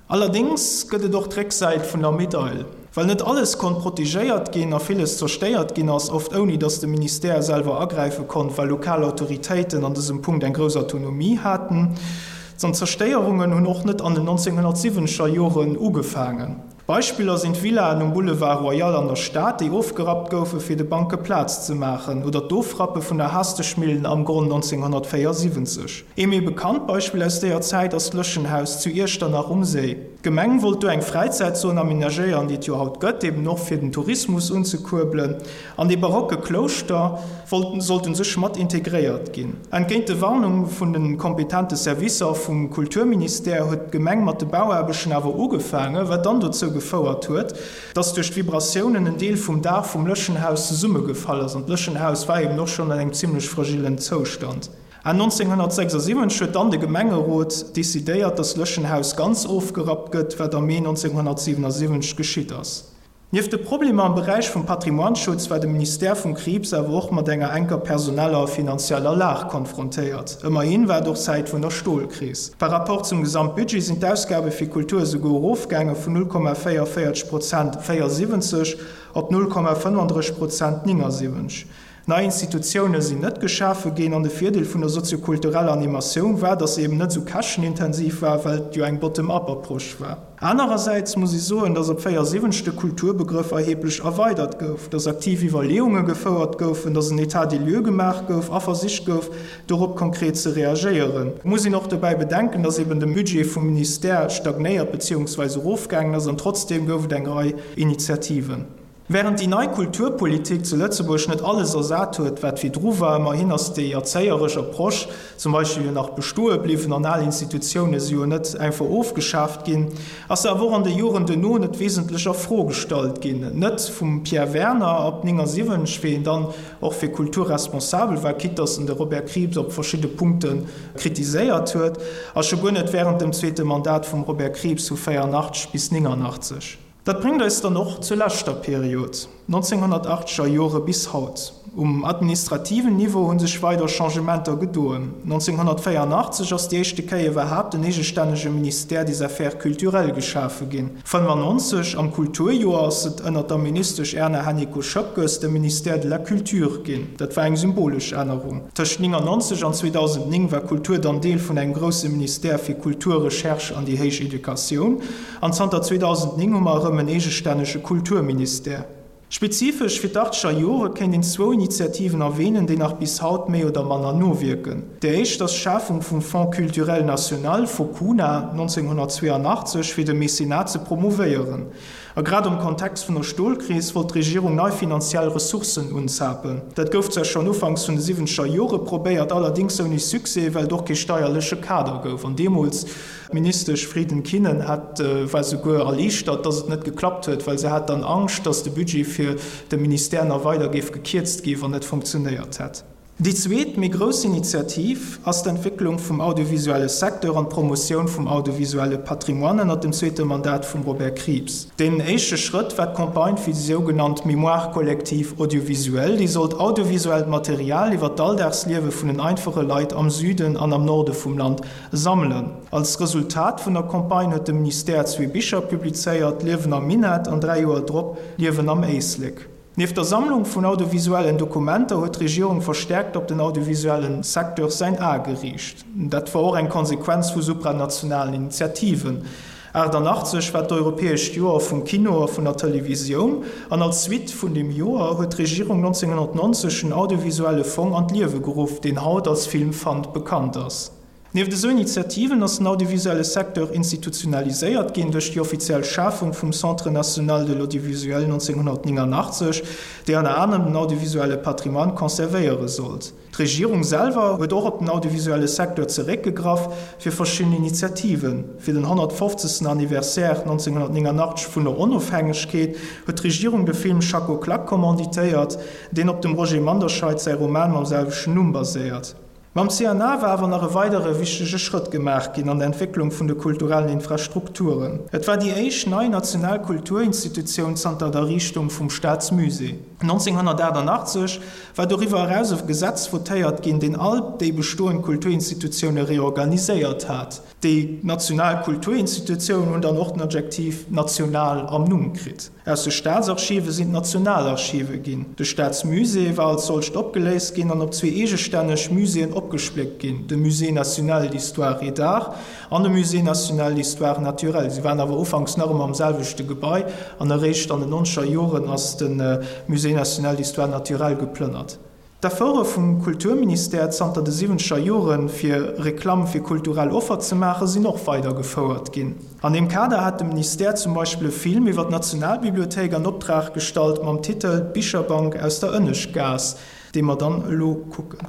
Allerdéngs gëtt et och d'Récksäit vun der Medail. Well net alles konnt protegéiert ginn a villes zerstéiert ginn ass, oft ouni datt de Ministère selwer agräife konnt, well lokal Autoritéiten an dësem Punkt eng grouss Autonomie haten. An d'Zerstéierungen hunn och net an den 1970er Joren ugefaangen. Beispiller sinn d'Villaen um Boulevard Royal an der Stad, déi ofgerappt goufe fir de Banke Plaz ze maachen, oder d'Ofrappe vun der Hasteschmillen am Gronn 1974. Ee méi bekannt Beispill aus déier Zäit ass d'Lëschenhaus zu Iechternach um Séi. D'Gemeng wollt do eng Fräizäitzon amenagéieren, déi et jo haut gëtt, eben och fir den Tourismus unzekuerbelen. An dee barocke Klouschter wollt sollt un sech mat integréiert ginn. Entgéint de Warnung vun de kompetente Servicer vum Kulturministère huet d'Gemeng mat de Bauaarbechten awer ugefaangen, wat dann dozou gefouert huet, dass duerch d'Vibratiounen en Deel vum Daach vum Lëschenhaus zesummegefall ass. An d'Lëschenhaus war eben och schonn an engem zimmlech fragillen Zoustand. Enn 1976 huet dann de Gemengerot decidéiert, dass d'Lëschenhaus ganz ofgerappt gëtt, wat am Mee 1977 geschitt ass. Nieft de Problemer am Beräich vum Patrimoineschutz war de Ministère vum Krieps awer och mat enger enker personeller a finanzieller Lag konfrontéiert. Ëmmerhin war et och Zäit vun der Stolkris. Par rapport zum Gesamtbudget sinn d'Ausgabe fir Kultur esouguer erofgaange vun 0,44 Prozent 74 op 0,35 Prozent 79. Nei Institutioune sinn net geschafe ginn an de Virdeel vun der soziokultureller Animatioun war, datt se eben net esou käschtenintensiv war, well et jo eng Bottom-up-Approche war. Anerersäits muss ee soen, datt op 74 de Kulturbegrëff erheblech erweidert gouf, datt aktiv Iwwerleeunge gefouert goufen, datt en État des lieux gemaach gouf a versicht gouf, dorop konkret ze reagéieren. Et muss een och dobäi bedenken, datt eben de Budget vum Ministère stagnéiert beziehungsweise erofgaangen ass an trotzdeem gouf et eng Rei Initiativen. Während déi nei Kulturpolitik zu Lëtzebuerg net alles ersat huet, wat virdru war, ëmmerhin ass déi erzéieresch Approche zum Beispill jo nach bestoe bliwwen an al Institutioune si jo net einfach ofgeschaaft ginn, ass se awer och an de Joren duerno net wesentlech a Fro gestallt ginn. Net vum Pierre Werner ab 79, wéi en dann och fir Kultur responsabel war, quitte datt en de Robert Krieps op verschidde Punkte kritiséiert huet, a scho guer net während dem zweete Mandat vum Robert Krieps vu 84 bis 89. Dat bréngt eis dann och zur leschter Period, 1980er Jore bis haut. Um administrativen Niveau hu sech weider Changementer gedoen. 1984 ass déi éischte Kéier iwwerhaapt en eegestännege Ministère des Affaires culturelles geschafe ginn. 95, am Kulturjoer, ass et ënner der Ministesch Erna Hennicot-Schoepges de Ministère de la Culture ginn. Dat war eng symbolesch Ännerung. Tëscht 99 an 2009 war Kultur dann Deel vun engem grousse Ministère fir Kultur, Recherche an déi héich Educatioun. An zanter 2009 hu mer erëm en eegestännege Kulturministère. Spezifesch fir d'Achtscher Jore kéint een zwou Initiativen erwähnen, déi nach bis haut méi oder manner nowierken. Déi éischt ass d'Schafung vum Fonds culturel national, Focuna, 1982, fir de Mécénat ze promouvéieren. A grad am Kontext vun der Stolkris wollt d'Regierung nei finanziell Ressourcen unzapen. Dat gouf zwar schonn ufanks vun de siwwenzeger Jore probéiert, allerdéngs ouni Succès, well et och kee steierleche Kader gouf. An deemools D'Ministesch Frieden-Kinnen hat war souguer erliichtert, dass et net geklappt huet, well se hat dann Angscht, dass de Budget fir de Ministère nach weider géif gekierzt gi wann et funktionéiert hätt. Déi zweet, méi grouss Initiativ ass d'Entwécklung vum audiovisuelle Secteur an d'Promotioun vum audiovisuelle Patrimoine ënnert dem zweete Mandat vum Robert Krieps. Deen éischte Schrëtt war d'Campagne fir déi sougenannt Mémoire collective audiovisuelle, déi sollt audiovisuellt Material iwwer d'Alldagsliewe vun den einfache Leit am Süden an am Norde vum Land sammelen. Als Resultat vun der Campagne huet de Ministère zwee Bicher publizéiert, Liewen am Minett an 3 Joer drop Liewen am Éislek. Nieft der Sammlung vun audiovisuellen Dokumenter huet d'Regierung verstärkt op den audiovisuellen Secteur säin A geriicht. Dat war och eng Konsequenz vu supranationalen Initiativen. 88 war d'Europäescht Joer vum Kino a vun der Televisioun an als Suite vun deem Joer huet d'Regierung 1990 den audiovisuelle Fong an d'Liewe geruff, deen haut als Filmfund bekannt ass. Nieft esou Initiativen ass den audiovisuelle Secteur institutionaliséiert ginn duerch déi offiziell Schafung vum Centre national de l'audiovisuel 1989, déi ënner anerem den audiovisuelle Patrimoine conservéiere sollt. D'Regierung selwer huet och op den audiovisuelle Secteur zeréckgegraff fir verschidden Initiativen. Fir den 150. Anniversaire 1989 vun der Onofhängegkeet huet d'Regierung de Film Schacko Klak commanditéiert, deen op dem Roger Manderscheid säi Roman mam selwechten Numm baséiert. Mam CNA war awer nach e weidere wichtege Schrëtt gemaach ginn an der Entwécklung vun de kulturellen Infrastrukturen. Et war déi éischt nei national Kulturinstitutioun zanter der Erriichtung vum Staatsmusée. 1988 war doriwwer eraus e Gesetz votéiert ginn, deen all déi bestoend Kulturinstitutioune reorganiséiert hat. Déi national Kulturinstitutiounen hunn dann och den Adjektiv national am Numm kritt. Aus de Staatsarchive sinn d'Nationalarchive ginn. De Staatsmusée war als solcht opgeléist ginn an op zwee eegestänneg Muséeën opgespléckt ginn, de Musée national d'histoire et d'art an de Musée national d'histoire naturelle. Si waren awer ufanks nach ëmmer am selwechte Gebai an eréischt an den nonzeger Joren ass de Musée national d'histoire naturelle geplënnert. D'Efforte vum Kulturministère zanter de siwwenzeger Joren, fir Reklamm fir kulturell Offer ze maachen, sinn och weider gefouert ginn. An deem Kader hat de Ministère zum Beispill e Film iwwer d'Nationalbibliothéik an Optrag gestallt mam Titel D'Bicherbank aus der Ënneschtgaass, dee mer dann elo kucken.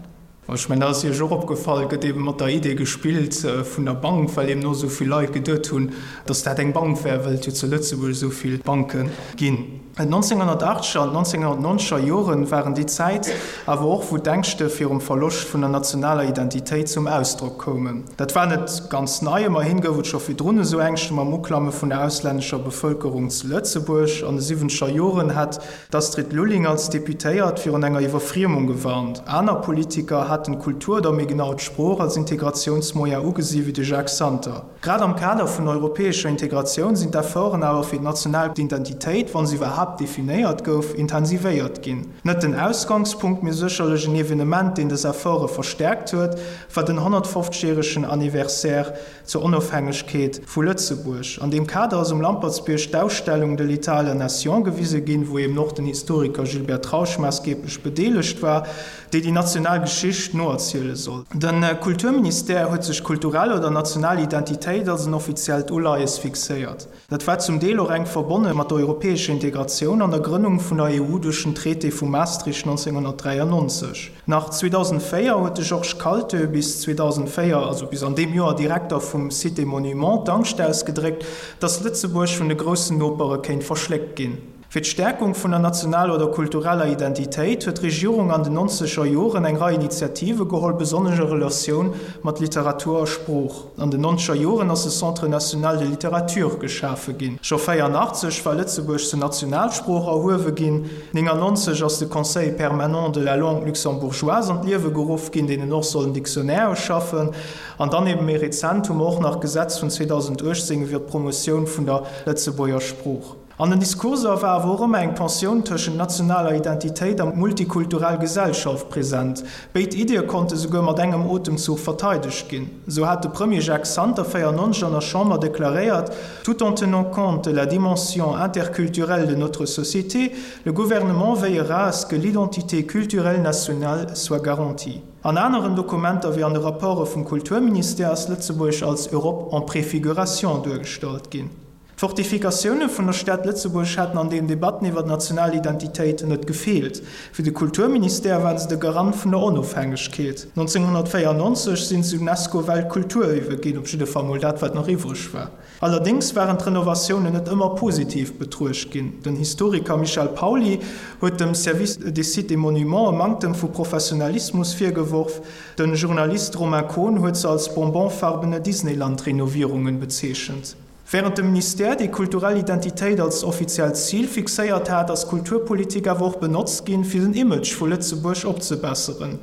Ech mengen, dat ass Iech och opgefall, gëtt eebe mat der Idee gespillt vun der Bank, well eben och esou vill Leit geduet hunn, datt dat eng Bank wär, well et jo zu Lëtzebuerg esou vill Banke ginn. D'Nonzénghunnertaachtzeger an d'Nonzénghunnertnonzeger Joren waren déi Zäit awer och, wou d'Ängschte virum Verloscht vun der nationaler Identitéit zum Ausdrock koumen. Dat war net ganz nei, ëmmerhin gouf et scho virdrun esou Ängschte mam Uklamme vun der auslännescher Bevëlkerung zu Lëtzebuerg. An de siwwenzeger Joren hat d'Astrid Lulling als Deputéiert virun enger Iwwerfriemung gewarnt. Aner Politiker haten d'Kultur oder méi genau d'Sprooch als Integratiounsmoyen ugesi wéi de Jacques Santer. Grad am Kader vun der europäescher Integratioun sinn d'Efforten awer fir d'national Identitéit, wa se iwwerhaapt definéiert gouf, intensivéiert ginn. Net den Ausgangspunkt, mee sécherlech en Evenement, deen des Efforte verstäerkt huet, war den 150 järegen Anniversaire zur Onofhängegkeet vu Lëtzebuerg. An deem Kader ass um Lampertsbierg d'Ausstellung De l'État à la nation gewise ginn, wou eben och den Historiker Gilbert Trausch maassgeeblech bedeelegt war. déi déi national Geschicht noerziele soll. De Kulturministère huet sech kulturell oder national Identitéit als en offiziellt Uleies fixéiert. Dat war zum Deel och enk verbonne mat der europäescher Integratioun an der Grënnung vun der EU duerch den Traité vu Maastricht 1993. Nach 2004 huet de Georges Kaltö, bis 2004, also bis an deem Joer Direkter vum Site et Monuments, d'Angscht ausgedréckt, datt Lëtzebuerg vun de groussen Nopere kéint verschléckt ginn. Fir d'Stäerkung vun der nationaler oder kultureller Identitéit huet d'Regierung an den nonzeger Joren eng Rei Initiative geholl, besonnesch a Relatioun mat Literatur a Sprooch. An den nonzeger Joren ass de Centre national de littérature geschafe ginn. Scho 84 war Lëtzebuerg zur Nationalsprooch erhuewe ginn. 99 ass de Conseil permanent de la langue luxembourgeoise an d'Liewe geruff ginn, deen en och soll en Dictionnaire schaffen. An dann ebe méi rezent hu mer och nach d'Gesetz vun 2018 iwwer d'Promotioun vun der Lëtzebuerger Sprooch. An den Diskurser war awer och ëmmer eng Tensioun tëschent nationaler Identitéit a multikulturell Gesellschaft present. Béid Iddie konnte souguer mat engem Otemzuch verteidegt ginn. Esou hat de Premier Jacques Santer 94 an der Chamber deklaréiert, Tout en tenant compte de la dimension interculturelle de notre société, le gouvernement veillera à ce que l'identité culturelle nationale soit garantie. An aneren Dokumenter wéi an de Rapporte vum Kulturministère ass Lëtzebuerg als Europe en préfiguration duergestallt ginn. D'Fortifikatioune vun der Stad Lëtzebuerg haten an den Debatten iwwer d'national Identitéit net gefeelt. Fir de Kulturministère waren se de Garant vun der Onofhängegkeet. 1994 sinn se UNESCO-Weltkulturierwe ginn, op jidde Fall mol dat, wat nach iwwreg war. Allerdéngs waren d'Renovatiounen net ëmmer positiv betruecht ginn. Den Historiker Michel Pauly huet dem Service des sites et monuments e Manktem vu Professionalismus virgeworf. De Journalist Romain Kohn huet se als bonbonfarbene Disneyland-Renovierungen bezeechent. Wärend de Ministère déi kulturell Identitéit als offiziellt Zil fixéiert hat, ass d'Kulturpolitik awer och benotzt ginn, fir den Image vu Lëtzebuerg opzebesseren.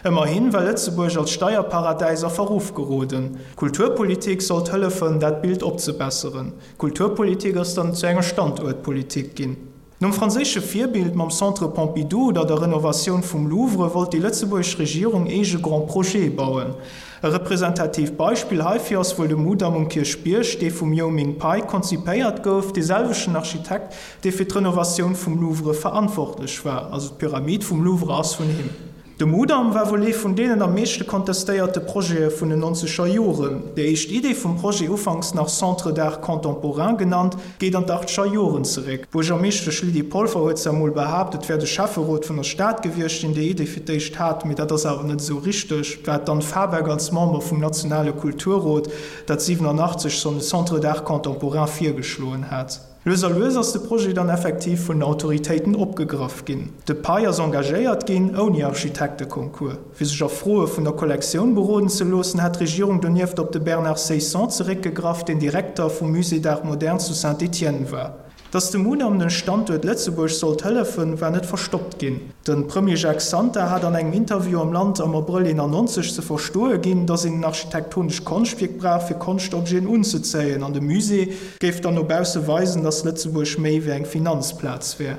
Ëmmerhin war Lëtzebuerg als Steierparadäis a Verruff geroden. D'Kulturpolitik sollt hëllefen, dat Bild opzebesseren. D'Kulturpolitik ass dann zu enger Standuertpolitik ginn. Nom franséische Virbild mam Centre Pompidou oder der Renovatioun vum Louvre wollt déi lëtzebuergesch Regierung eege Grands Projete bauen. E representatiivt Beispill heifir ass wuel de Mudam um Kierchbierg, dee vum Yoh Ming Pei konzipéiert gouf, dee selwechten Architekt, dee fir d'Renovatioun vum Louvre verantwortlech war, also d'Pyramid vum Louvre ass vun him. De Mudam war wuel ee vun deenen am meeschte kontestéierte Projete vun den nonzeger Joren. Déi éischt Idee vum Projet, ufanks nach Centre d'art contemporain genannt, geet an d'achtzeger Joren zeréck. D'Buergermeeschtesch Lydie Polfer huet zwar mol behaapt, et wär de Schäfferot vun der Stad gewiescht, deen déi Idee fir d'éischt hat, mee dat ass awer net esou richteg. Et war d'Anne Fabeck als Member vum nationale Kulturrot, dat 87 schonn de Centre d'art contemporain virgeschloen hat. Lues a lues ass de Projet dann effektiv vun den Autoritéiten opgegraff ginn. De Pei ass engagéiert ginn, ouni Architekteconcours. Fir sech a Froe vun der Kollektioun beroden ze loossen, hat d'Regierung donieft op de Bernard Ceysson zeréckgegraff, deen Direkter vum Musée d'Art moderne zu Saint-Étienne war. Datt de Mudam dem Standuert Lëtzebuerg sollt hëllefen, war net verstoppt ginn. De Premier Jacques Santer hat an engem Interview am Land am Abrëll 91 ze verstoe ginn, datt een en architektonescht Konschtwierk brauch, fir Konschtobjeten unzezéien an de Musée géif dann no bausse weisen, datt Lëtzebuerg méi wéi eng Finanzplaz wär.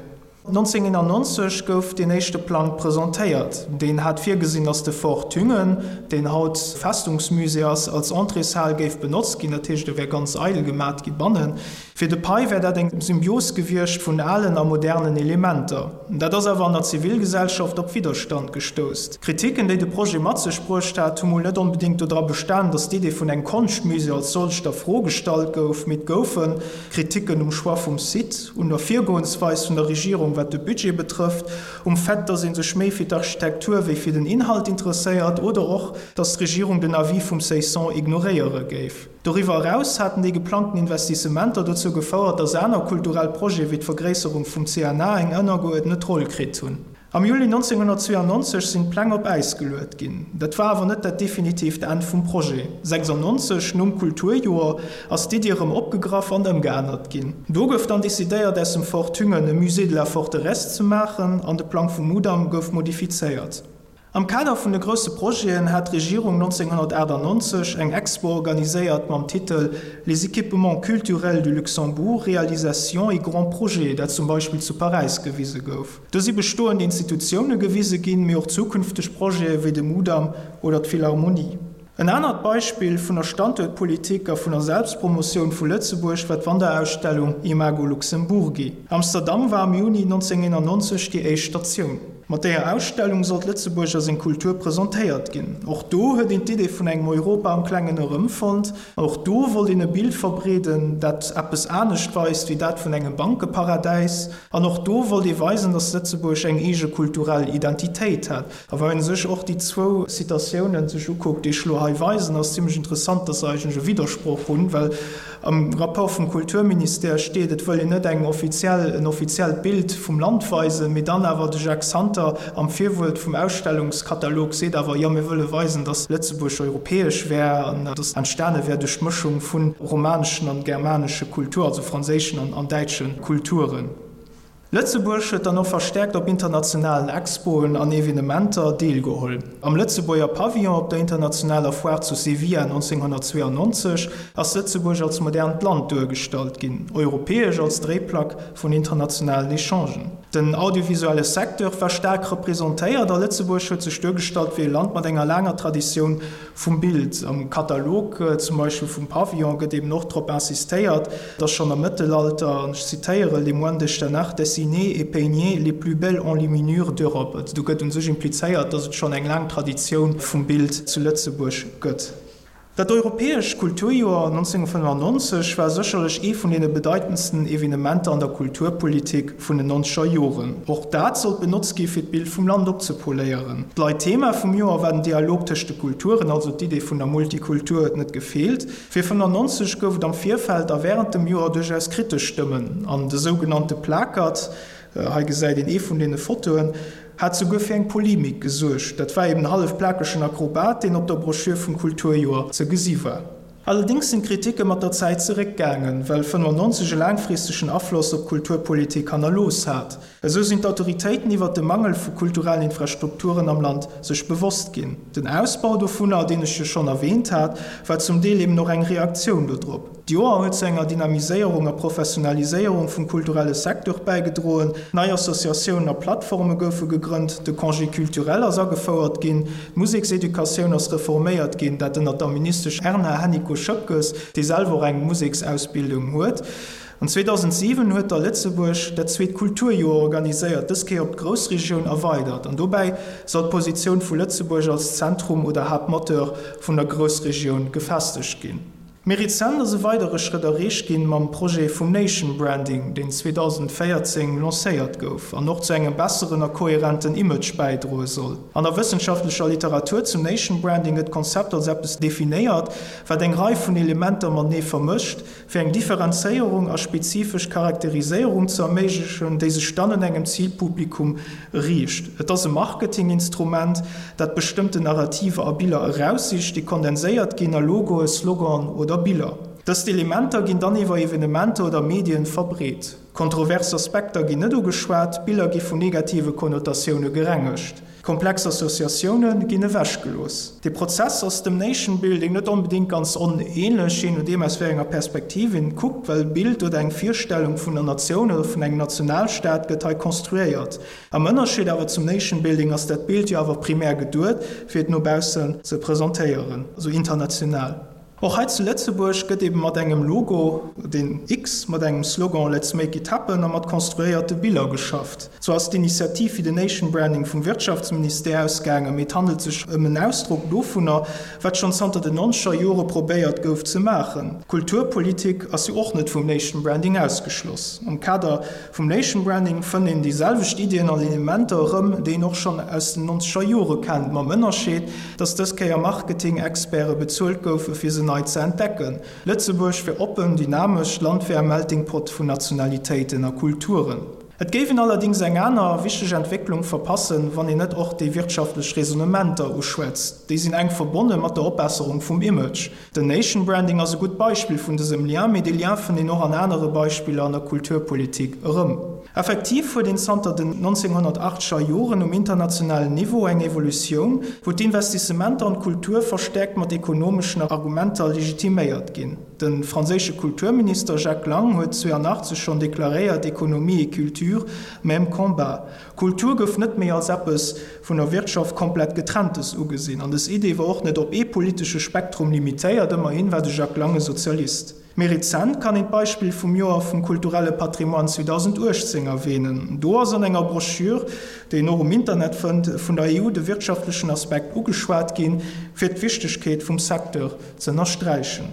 1991 gouf deen éischte Plang presentéiert. Deen hat virgesinn, datt de Fort Thüngen, deen haut Festungsmusée ass, als Entréeshal géif benotzt ginn. Dat heescht, e wär ganz eidel gemat gi bannen. Fir de Pei wär dat eng Symbios gewiescht vun alen a modernen Elementer. Dat ass awer an der Zivilgesellschaft op Widderstand gestouss. D'Kritiken, déi de Projet mat sech bruecht hat, hu mol net onbedéngt dodra bestan, datt d'Idee vun engem Konschtmusée als solcht a Fro gestallt gouf, mee et goufe Kritiken um Choix vum Site, un der Virgoensweis vun der Regierung wat de Budget betrëfft, um Fait, datt ee sech méi fir d'Architektur wéi fir den Inhalt interesséiert oder och, datt d'Regierung den Avis vum Ceysson ignoréiere géif. Doriwwer eraus haten déi geplangten Investissementer dozou gefouert, datt aner kulturell Projete wéi d'Vergréisserung vum CNA eng ënnergeuerdnet Roll kritt hunn. Am Juli 1992 sinn d'Pläng op Äis geluet ginn. Dat war awer net dat definitiivt Enn vum Projet. 96, nom Kulturjoer, ass d'Iddi erëm opgegraff an ëmgeännert ginn. Do gouf dann decidéiert, aus dem Fort Thüngen e Musée de la Forteresse ze maachen an de Plang vum Mudam gouf modifizéiert. Am Kader vun de grousse Projeten hat d'Regierung 1998 eng Expo organiséiert mam Titel Les équipements culturels du Luxembourg, réalisations et grands projets, dat zum Beispill zu Paräis gewise gouf. Do si bestoend Institutioune gewise ginn, mee och zukünfteg Projete wéi de Mudam oder d'Philharmonie. En anert Beispill vun der Standuertpolitik a vun der Selbstpromotioun vu Lëtzebuerg war d'Wanderausstellung Imago Luxemburgi. Amsterdam war am Juni 1991 déi éischt Statioun. Mat deeër Ausstellung sollt Lëtzebuerg a seng Kultur presentéiert ginn. Och do huet een d'Idee vun engem Europa am Klengen erëmfonnt. Och do wollt een e Bild verbreeden, dat eppes anescht weist wéi dat vun engem Bankeparadäis. An och do wollt ee weisen, datt Lëtzebuerg eng eege kulturell Identitéit hätt. A wann een sech och déi zwou Citatiounen sech ukuckt, déi ech elo hei weisen, ass zimlech interessant, dass se eigentlech e Widdersproch hunn, well am Rapport vum Kulturministère steet, et wëll een net eng offiziell, en offiziellt Bild vum Land weisen, mee dann awer de Jacques Santer am Virwuert vum Ausstellungskatalog seet awer, jo mir wëlle weisen, dass Lëtzebuerg europäesch wär an dass entstane wär duerch d'Mëschung vu romaneschen an germanesche Kultur, also franséischen an däitsche Kulturen. Lëtzebuerg huet dann och verstäerkt op internationalen Expoen an Evenementer deelgeholl. Am Lëtzebuerger Pavillon op der internationaler Foire zu Sevilla 1992 ass Lëtzebuerg als modernt Land duergestallt ginn, europäesch als Dréiplack vun internationalen Echangen. Den audiovisuelle Secteur war staark representéiert a Lëtzebuerg huet sech duergestallt wéi e Land mat enger laanger Traditioun Vum Bild. Am Katalog zum Beispill vum Pavillon gëtt eben och drop insistéiert, dass schonn am Mëttelalter, an ech zitéieren, les moines d'Echternach dessinaient et peignaient les plus belles enluminures d'Europe. Also do gëtt u sech implizéiert, dass et schonn eng laang Traditioun vum Bild zu Lëtzebuerg gëtt. Dat Europäescht Kulturjoer 1995 war sécherlech ee vun deene bedeitendsten Evenementer an der Kulturpolitik vun den nonzeger Joren. Och dat sollt benotzt gi fir d'Bild vum Land opzepoléieren. D'Leitthema vum Joer war den Dialog tëscht de Kulturen, also d'Idee vun der Multikultur huet net gefeelt. Fir 95 gouf et am Virfeld a wärend dem Joer duerchaus kritesch Stëmmen an de sougenannte Plakert, hei gesäit een ee vun deene Fotoen, hat souguer fir eng Polemik gesuergt. Dat war eben e hallef plakegen Akrobat, deen op der Broschür vum Kulturjoer ze gesi war. Allerdéngs sinn d'Kritike mat der Zäit zeréckgaangen, well 95 e laangfristegen Afloss op d'Kulturpolitik hannerlooss hat. Esou sinn d'Autoritéiten iwwert de Mangel vu kulturellen Infrastrukturen am Land sech bewosst ginn. Den Ausbau dovunner, deen ech jo schonn erwähnt hat, war zum Deel eben och eng Reaktioun dodrop. D'Joer huet zu enger Dynamiséierung a Professionaliséierung vum kulturelle Secteur bäigedroen, nei Associatiounen a Plattforme goufe gegrënnt, de Congé culturel ass agefouert ginn, d'Musekseducatioun ass reforméiert ginn, dat ënnert der Ministesch Erna Hennicot-Schoepges, déi selwer och eng Museksausbildung huet. An 2007 huet da Lëtzebuerg dat zweet Kulturjoer organiséiert, dës Kéier op d'Groussregioun erweidert, an dobäi soll d'Positioun vu Lëtzebuerg als Zentrum oder Haaptmoteur vun der Groussregioun gefestegt ginn. Méi rezent ass e weidere Schrëtt erreecht ginn mam Projet vum Nation Branding, deen 2014 lancéiert gouf an och zu engem besseren a kohärenten Image bäidroe soll. An der wëssenschaftlecher Literatur zum Nation Branding gëtt d'Konzept als eppes definéiert, wat eng Rei vun Elementer matenee vermëscht, fir eng Differenzéierung a spezifesch Charakteriséierung ze erméiglechen, déi sech dann un engem Zilpublikum riicht. Et ass e Marketinginstrument, dat bestëmmten Narrativer a Biller eraussicht, déi kondenséiert ginn a Logoe, Sloganen oder Biller. Dëst Elementer ginn dann iwwer Evenementer oder Medien verbreet. Kontrovers Aspekter ginn net ugeschwat, d'Biller gi vun negative Konnotatioune gerengegt. Komplex Associatioune ginn ewechgelooss. Dee Prozess ass dem Nation Building net onbedéngt ganz onähnlech, jee nodeem aus wéi enger Perspektiv een et kuckt, well e Bild oder eng Virstellung vun der Natioun oder vun engem Nationalstaat gëtt hei konstruéiert. Am Ënnerscheed awer zum Nation Building ass dat Bild jo awer primär geduet, fir et no baussen ze presentéieren, also international. Och hei zu Lëtzebuerg gëtt ebe mat engem Logo, den X, mat engem Slogan Let's make it happen a mat konstruéierte Biller geschafft. Zwar ass d'Initiativ fir den Nation Branding vum Wirtschaftsministère ausgaangen, mee et handelt sech ëm en Ausdrock dovunner, wat schonn zanter den nonzeger Jore probéiert gouf ze maachen. D'Kulturpolitik ass jo och net vum Nation Branding ausgeschloss. Am Kader Vum Nation Branding fënnt een déi selwecht Iddien an Elementer erëm, déi een och schonn aus den nonzeger Jore kennt, mam Ënnerscheed, dass dës Kéier Marketing-Experte bezuelt goufe fir se nei ze entdecken. Lëtzebuerg wier oppen, dynamesch, d'Land wär e Melting Pot vun Nationalitéiten a Kulturen. Et géif een allerdéngs eng aner wichteg Entwécklung verpassen, wann een net och déi wirtschaftlech Raisonnementer uschwätzt. Déi sinn enk verbonne mat der Opbesserung vum Image. Den Nation Branding ass e gutt Beispill vun dësem Lien, mee dee Lien fënnt een och an anere Beispiller an der Kulturpolitik erëm. Effektiv huet een zanter den 1980er Joren um internationalen Niveau eng Evolutioun, wou d'Investissementer an d'Kultur verstäerkt mat ekonomeschen Argumenter legitiméiert ginn. De franséische Kulturminister Jacques Lang huet 82 schonn deklaréiert, Économie et culture, même combat. Kultur gouf net méi als eppes vun der Wirtschaft komplett Getrenntes ugesinn, an dës Idee war och net op ee politesche Spektrum limitéiert, ëmmerhin war de Jacques Lang e Sozialist. Méi rezent kann een d'Beispill vum Joer vum kulturelle Patrimoine 2018 erwähnen. Do ass an enger Broschür, déi een och um Internet fënnt, vun der EU de wirtschaftlechen Aspekt ugeschwat ginn, fir d'Wichtegkeet vum Secteur ze ënnersträichen.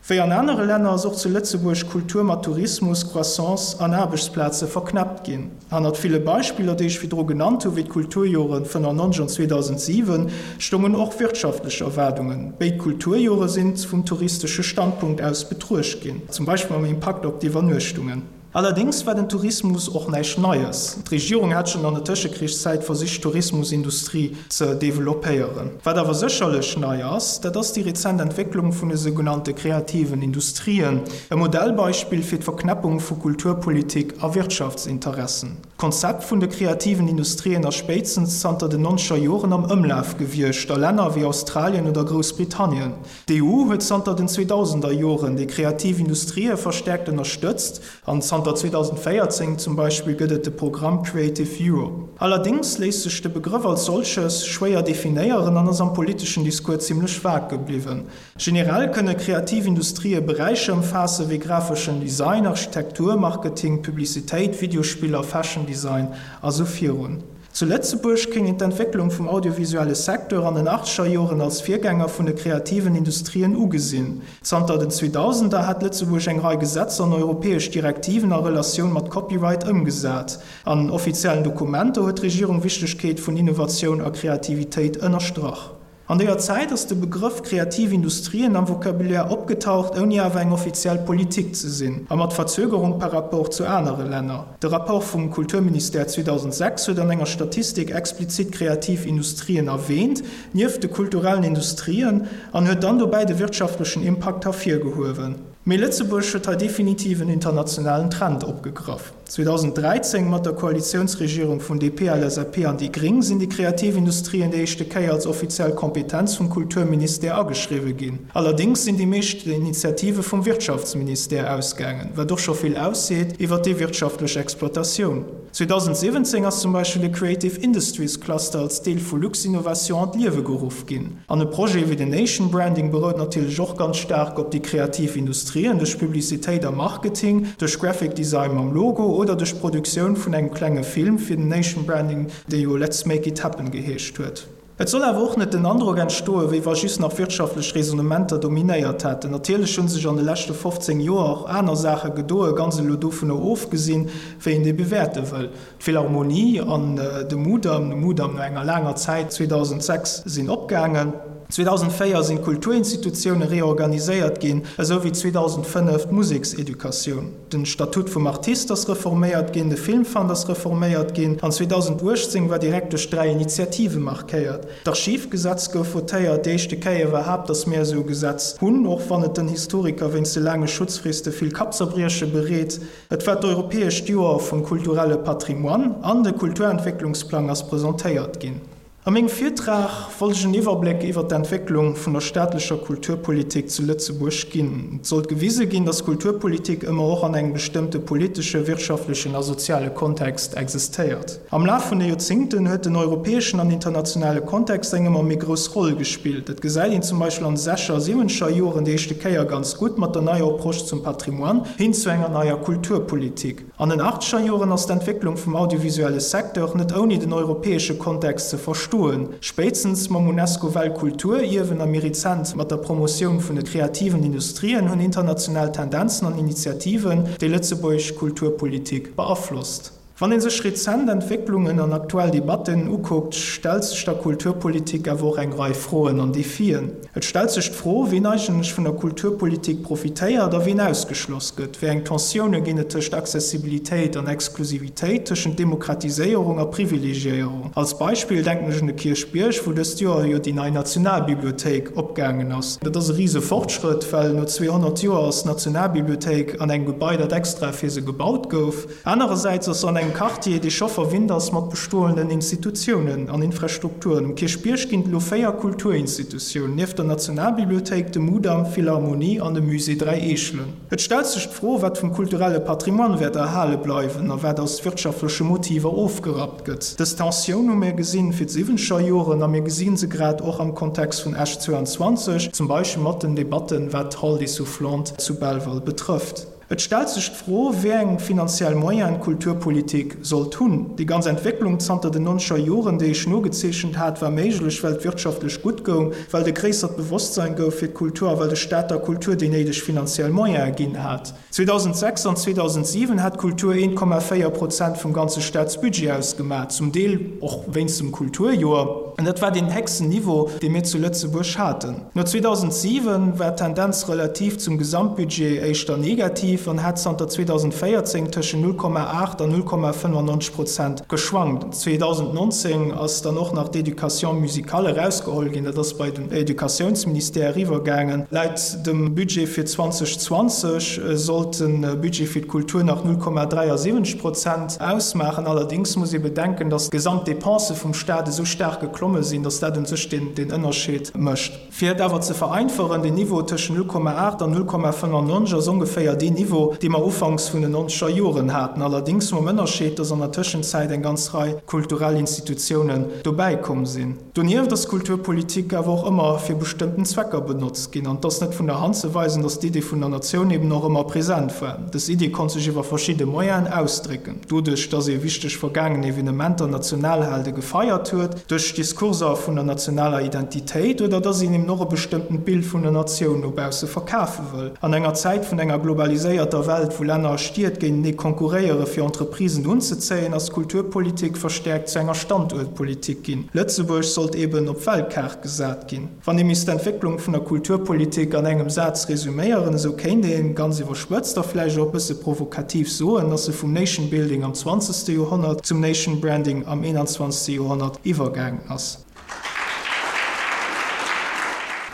Wéi an anere Länner ass och zu Lëtzebuerg Kultur mat Tourismus, Croissance an Aarbechtsplaze verknäppt ginn. Hannert ville Beispiller, déi ech virdru genannt hu wéi d'Kulturjoren 95 an 2007, stoungen och wirtschaftlech Erwaardungen. Béid Kulturjore sinn vum touristesche Standpunkt aus betruecht ginn, zum Beispill mam Impakt op d'Iwwernuechtungen. Allerdéngs war den Tourismus och näischt Neies. D'Regierung hat schonn an der Tëschekrichszäit versicht d'Tourismusindustrie ze developpéieren. Wat awer sécherlech nei ass, dat ass déi rezent Entwécklung vun de sougenannte kreativen Industrien, e Modellbeispill fir d'Verknäppung vu Kulturpolitik a Wirtschaftsinteressen. D'Konzept vun de kreativen Industrien ass spéitstens zanter den nonzeger Joren am Ëmlaf gewiescht a Länner wéi Australien oder Groussbritannien. D'EU huet zanter den 2000er Joren déi kreativ Industrië verstäerkt ënnerstëtzt an zanter 2014 zum Beispill gëtt et de Programm Creative Europe. Allerdéngs léisst sech de Begrëff als solches schwéier definéieren an ass am politeschen Discours zimmlech vag gebliwwen. Generell kënne kreativ Industrië Beräicher ëmfaasse wéi grafeschen Design, Architektur, Marketing, Publicitéit, Videospiller, Fashion Design a sou virun. Zu Lëtzebuerg kéint een d'Entwécklung vum audiovisuelle Secteur an den achtzeger Joren als Virgänger vun de kreativen Industrien ugesinn. Zanter den Zweedausender hat Lëtzebuerg eng Rei Gesetzer an europäesch Direktiven a Relatioun mat Copyright ëmgesat. An offiziellen Dokumenter huet d'Regierung Wichtegkeet vun Innovatioun a Kreativitéit ënnerstrach. An deeër Zäit ass de Begrëff kreativ Industrien am Vocabulaire opgetaucht, ouni awer eng offiziell Politik ze sinn, a mat Verzögerung par rapport zu anere Länner. De Rapport vum Kulturministère 2006 huet an enger Statistik explizit kreativ Industrien erwäänt, nieft de kulturellen Industrien, an huet dann dobäi de wirtschaftlechen Impakt hervirgehuewen. Mee Lëtzebuerg huet hei definitiv en internationalen Trend opgegraff. 2013, mat der Koalitiounsregierung vun DP, LSAP an déi Gréng, sinn déi kreativ Industrien déi éischte Kéier als offiziell Kompetenz vum Kulturministère ageschriwwe ginn. Allerdéngs sinn déi meescht Initiative vum Wirtschaftsministère ausgaangen, wat och scho vill ausseet iwwer déi wirtschaftlech Exploitatioun. 2017 ass zum Beispill de Creative Industries Cluster als Deel vu Luxinnovation an d'Liewe geruff ginn. An e Projet wéi den Nation Branding berout natierlech och ganz staark op déi kreativ Industrien, duerch Publicitéit a Marketing, duerch Graphic Design mam Logo oder duerch d'Produktioun vun engem klenge Film fir den Nation Branding, dee jo Let's Make It Happen geheescht huet. Et soll awer och net den Androck entstoen, wéi wa just nach wirtschaftlech Raisonnementer dominéiert hätten. Natierlech hu sech an de leschte 15 Joer och aner Saache gedoen, ganz elo dovunner ofgesinn, wéi een déi bewäerte wëll. D'Philharmonie an de Mudam, de Mudam no enger laanger Zäit 2006, sinn opgaangen. 2004 sinn d'Kulturinstitutioune reorganiséiert ginn, esou wéi 2005 d'Musekseducatioun. Den Statut vum Artist ass reforméiert ginn, de Filmfund ass reforméiert ginn an 2018 war direkt duerch 3 Initiative markéiert. D'Archivgesetz gouf votéiert, déi éischte Kéier iwwerhaapt, datt mir esou e Gesetz hunn, och wann et den Historiker wéinst de laange Schutzfriste vill Kappzerbrieche bereet. Et war d'Europäescht Joer vum kulturelle Patrimoine an de Kulturentwécklungsplang ass presentéiert ginn. A mengem Virtrag wollt ech en Iwwerbléck iwwer d'Entwécklung vun der staatlecher Kulturpolitik zu Lëtzebuerg ginn. Et sollt gewise ginn, datt Kulturpolitik ëmmer och an engem bestëmmte politesche, wirtschaftlechen a soziale Kontext existéiert. Am Laf vun de Joerzéngten huet den europäeschen an internationale Kontext eng ëmmer méi grouss Roll gespillt. Dat gesäit een zum Beispill an de sechscher a siwwenzeger Joren déi éischte Kéier ganz gutt mat der neier Approche zum Patrimoine hin zu enger neier Kulturpolitik. An den achtzeger Joren ass d'Entwécklung vum audiovisuelle Secteur net ouni den europäesche Kontext ze verstoen. Spéitstens mam UNESCO-Weltkulturierwen a méi rezent mat der Promotioun vun de kreativen Industrien hunn international Tendenzen an Initiativen déi lëtzebuergesch Kulturpolitik beaflosst. Wann ee sech rezent Entwécklungen an aktuell Debatten ukuckt, stellt sech der Kulturpolitik awer och eng Rei Froen an Defien. Et stellt sech d'Fro, ween eigentlech vun der Kulturpolitik profitéiert a ween ausgeschloss gëtt. Wéi eng Tensioune ginn et tëscht Accessibilitéit an Exklusivitéit, tëschent Demokratiséierung a Privilegiéierung? Als Beispill denken ech un de Kierchbierg, wou dëst Joer jo déi nei Nationalbibliothéik opgaangen ass. Dat ass e rise Fortschrëtt, well no 200 Joer ass d'Nationalbibliothéik an engem Gebai, dat extra fir se gebaut gouf. Anerersäits ass se an engem Quartier, dee scho verwinnt ass mat bestoenden Institutiounen an Infrastrukturen. Um Kierchbierg ginn et elo 4 Kulturinstitutiounen, nieft der Nationalbibliothéik, dem Mudam, d'Philharmonie an dem Musée Dräi Eechelen. Et stellt sech d'Fro, wat vum kulturelle Patrimoine wäert erhale bleiwen a wat aus wirtschaftleche Motiver ofgerappt gëtt. Dës Tensioun hu mir gesinn fir d'siwwenzeger Joren a mir gesi se grad och am Kontext vun Esch 22, zum Beispill mat den Debatten, wat d'Hall des Soufflantes zu Belval betrëfft. Et stellt sech d'Fro, wéi eng finanziell Moyenen d'Kulturpolitik sollt hunn. Déi ganz Entwécklung zanter den nonzeger Joren, déi ech nogezeechent hat, war méiglech, well et wirtschaftlech gutt goung, well et e gréissert Bewosstsein gouf fir d'Kultur a well de Staat der Kultur déi néideg finanziell Moyene ginn hat. 2006 an 2007 hat d'Kultur 1,4 Prozent vum ganze Staatsbudget ausgemaach, zum Deel och wéinst dem Kulturjoer. An dat war deen héchsten Niveau, dee mir zu Lëtzebuerg haten. No 2007 war d'Tendenz relativ zum Gesamtbudget éischter negativ an hat zanter 2014 tëschent 0,8 an 0,95 Prozent geschwankt. 2019 ass dann och nach d'Éducation musicale erausgeholl ginn, dat ass bei den Educatiounsministère eriwwergaangen. Laut dem Budget fir 2020 sollt de Budget fir d'Kultur nach 0,73 Prozent ausmaachen. Allerdéngs muss ee bedenken, datt d'Gesamtdepensë vum Staat esou staark geklomm. komme sinn, dass dat un sech deen Ënnerscheed mécht. Fir et awer ze vereinfachen, den Niveau tëschent 0,8 an 0,95 ass ongeféier deen Niveau, dee mer ufanks vun den nonzeger Joren haten, allerdéngs mam Ënnerscheed, dass an der Tëschenzäit eng ganz Rei kulturell Institutiounen dobäikomm sinn. Donieft ass Kulturpolitik awer och ëmmer fir bestëmmten Zwecker benotzt ginn an et ass net vun der Hand ze weisen, dass d'Idee vun der Natioun eben och ëmmer present war. Dës Idee konnt sech iwwer verschidde Moyenen ausdrécken, doduerch dass ee wichteg vergaangen Evenementer, Nationalhelde gefeiert huet, duerch Diskurser vun der nationaler Identitéit oder dass een eben och e bestëmmtent Bild vun der Natioun no bausse verkafe wëll. An enger Zäit vun enger globaliséierter Welt, wou Länner a Stied géintenee konkurréiere fir Entreprisen unzezéien, ass d'Kulturpolitik verstäerkt zu enger Standuertpolitik ginn. Lëtzebuerg sollt eben op d'Weltkaart gesat ginn. Wann ee misst d'Entwécklung vun der Kulturpolitik an engem Saz resuméieren, esou kéint een, ganz iwwerspëtzt a vläicht och e bësse provokativ soen, dass se vum Nation Building am zwanzegste Joerhonnert zum Nation Branding am eenanzwanzegste Joerhonnert iwwergaangen ass.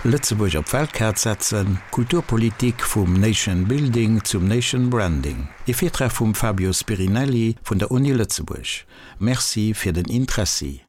Lëtzebuerg op d'Weltkaart setzen, Kulturpolitik vum Nation Building zum Nation Branding. E Virtrag vum Fabio Spirinelli vun der Uni Lëtzebuerg. Merci fir den Interessi.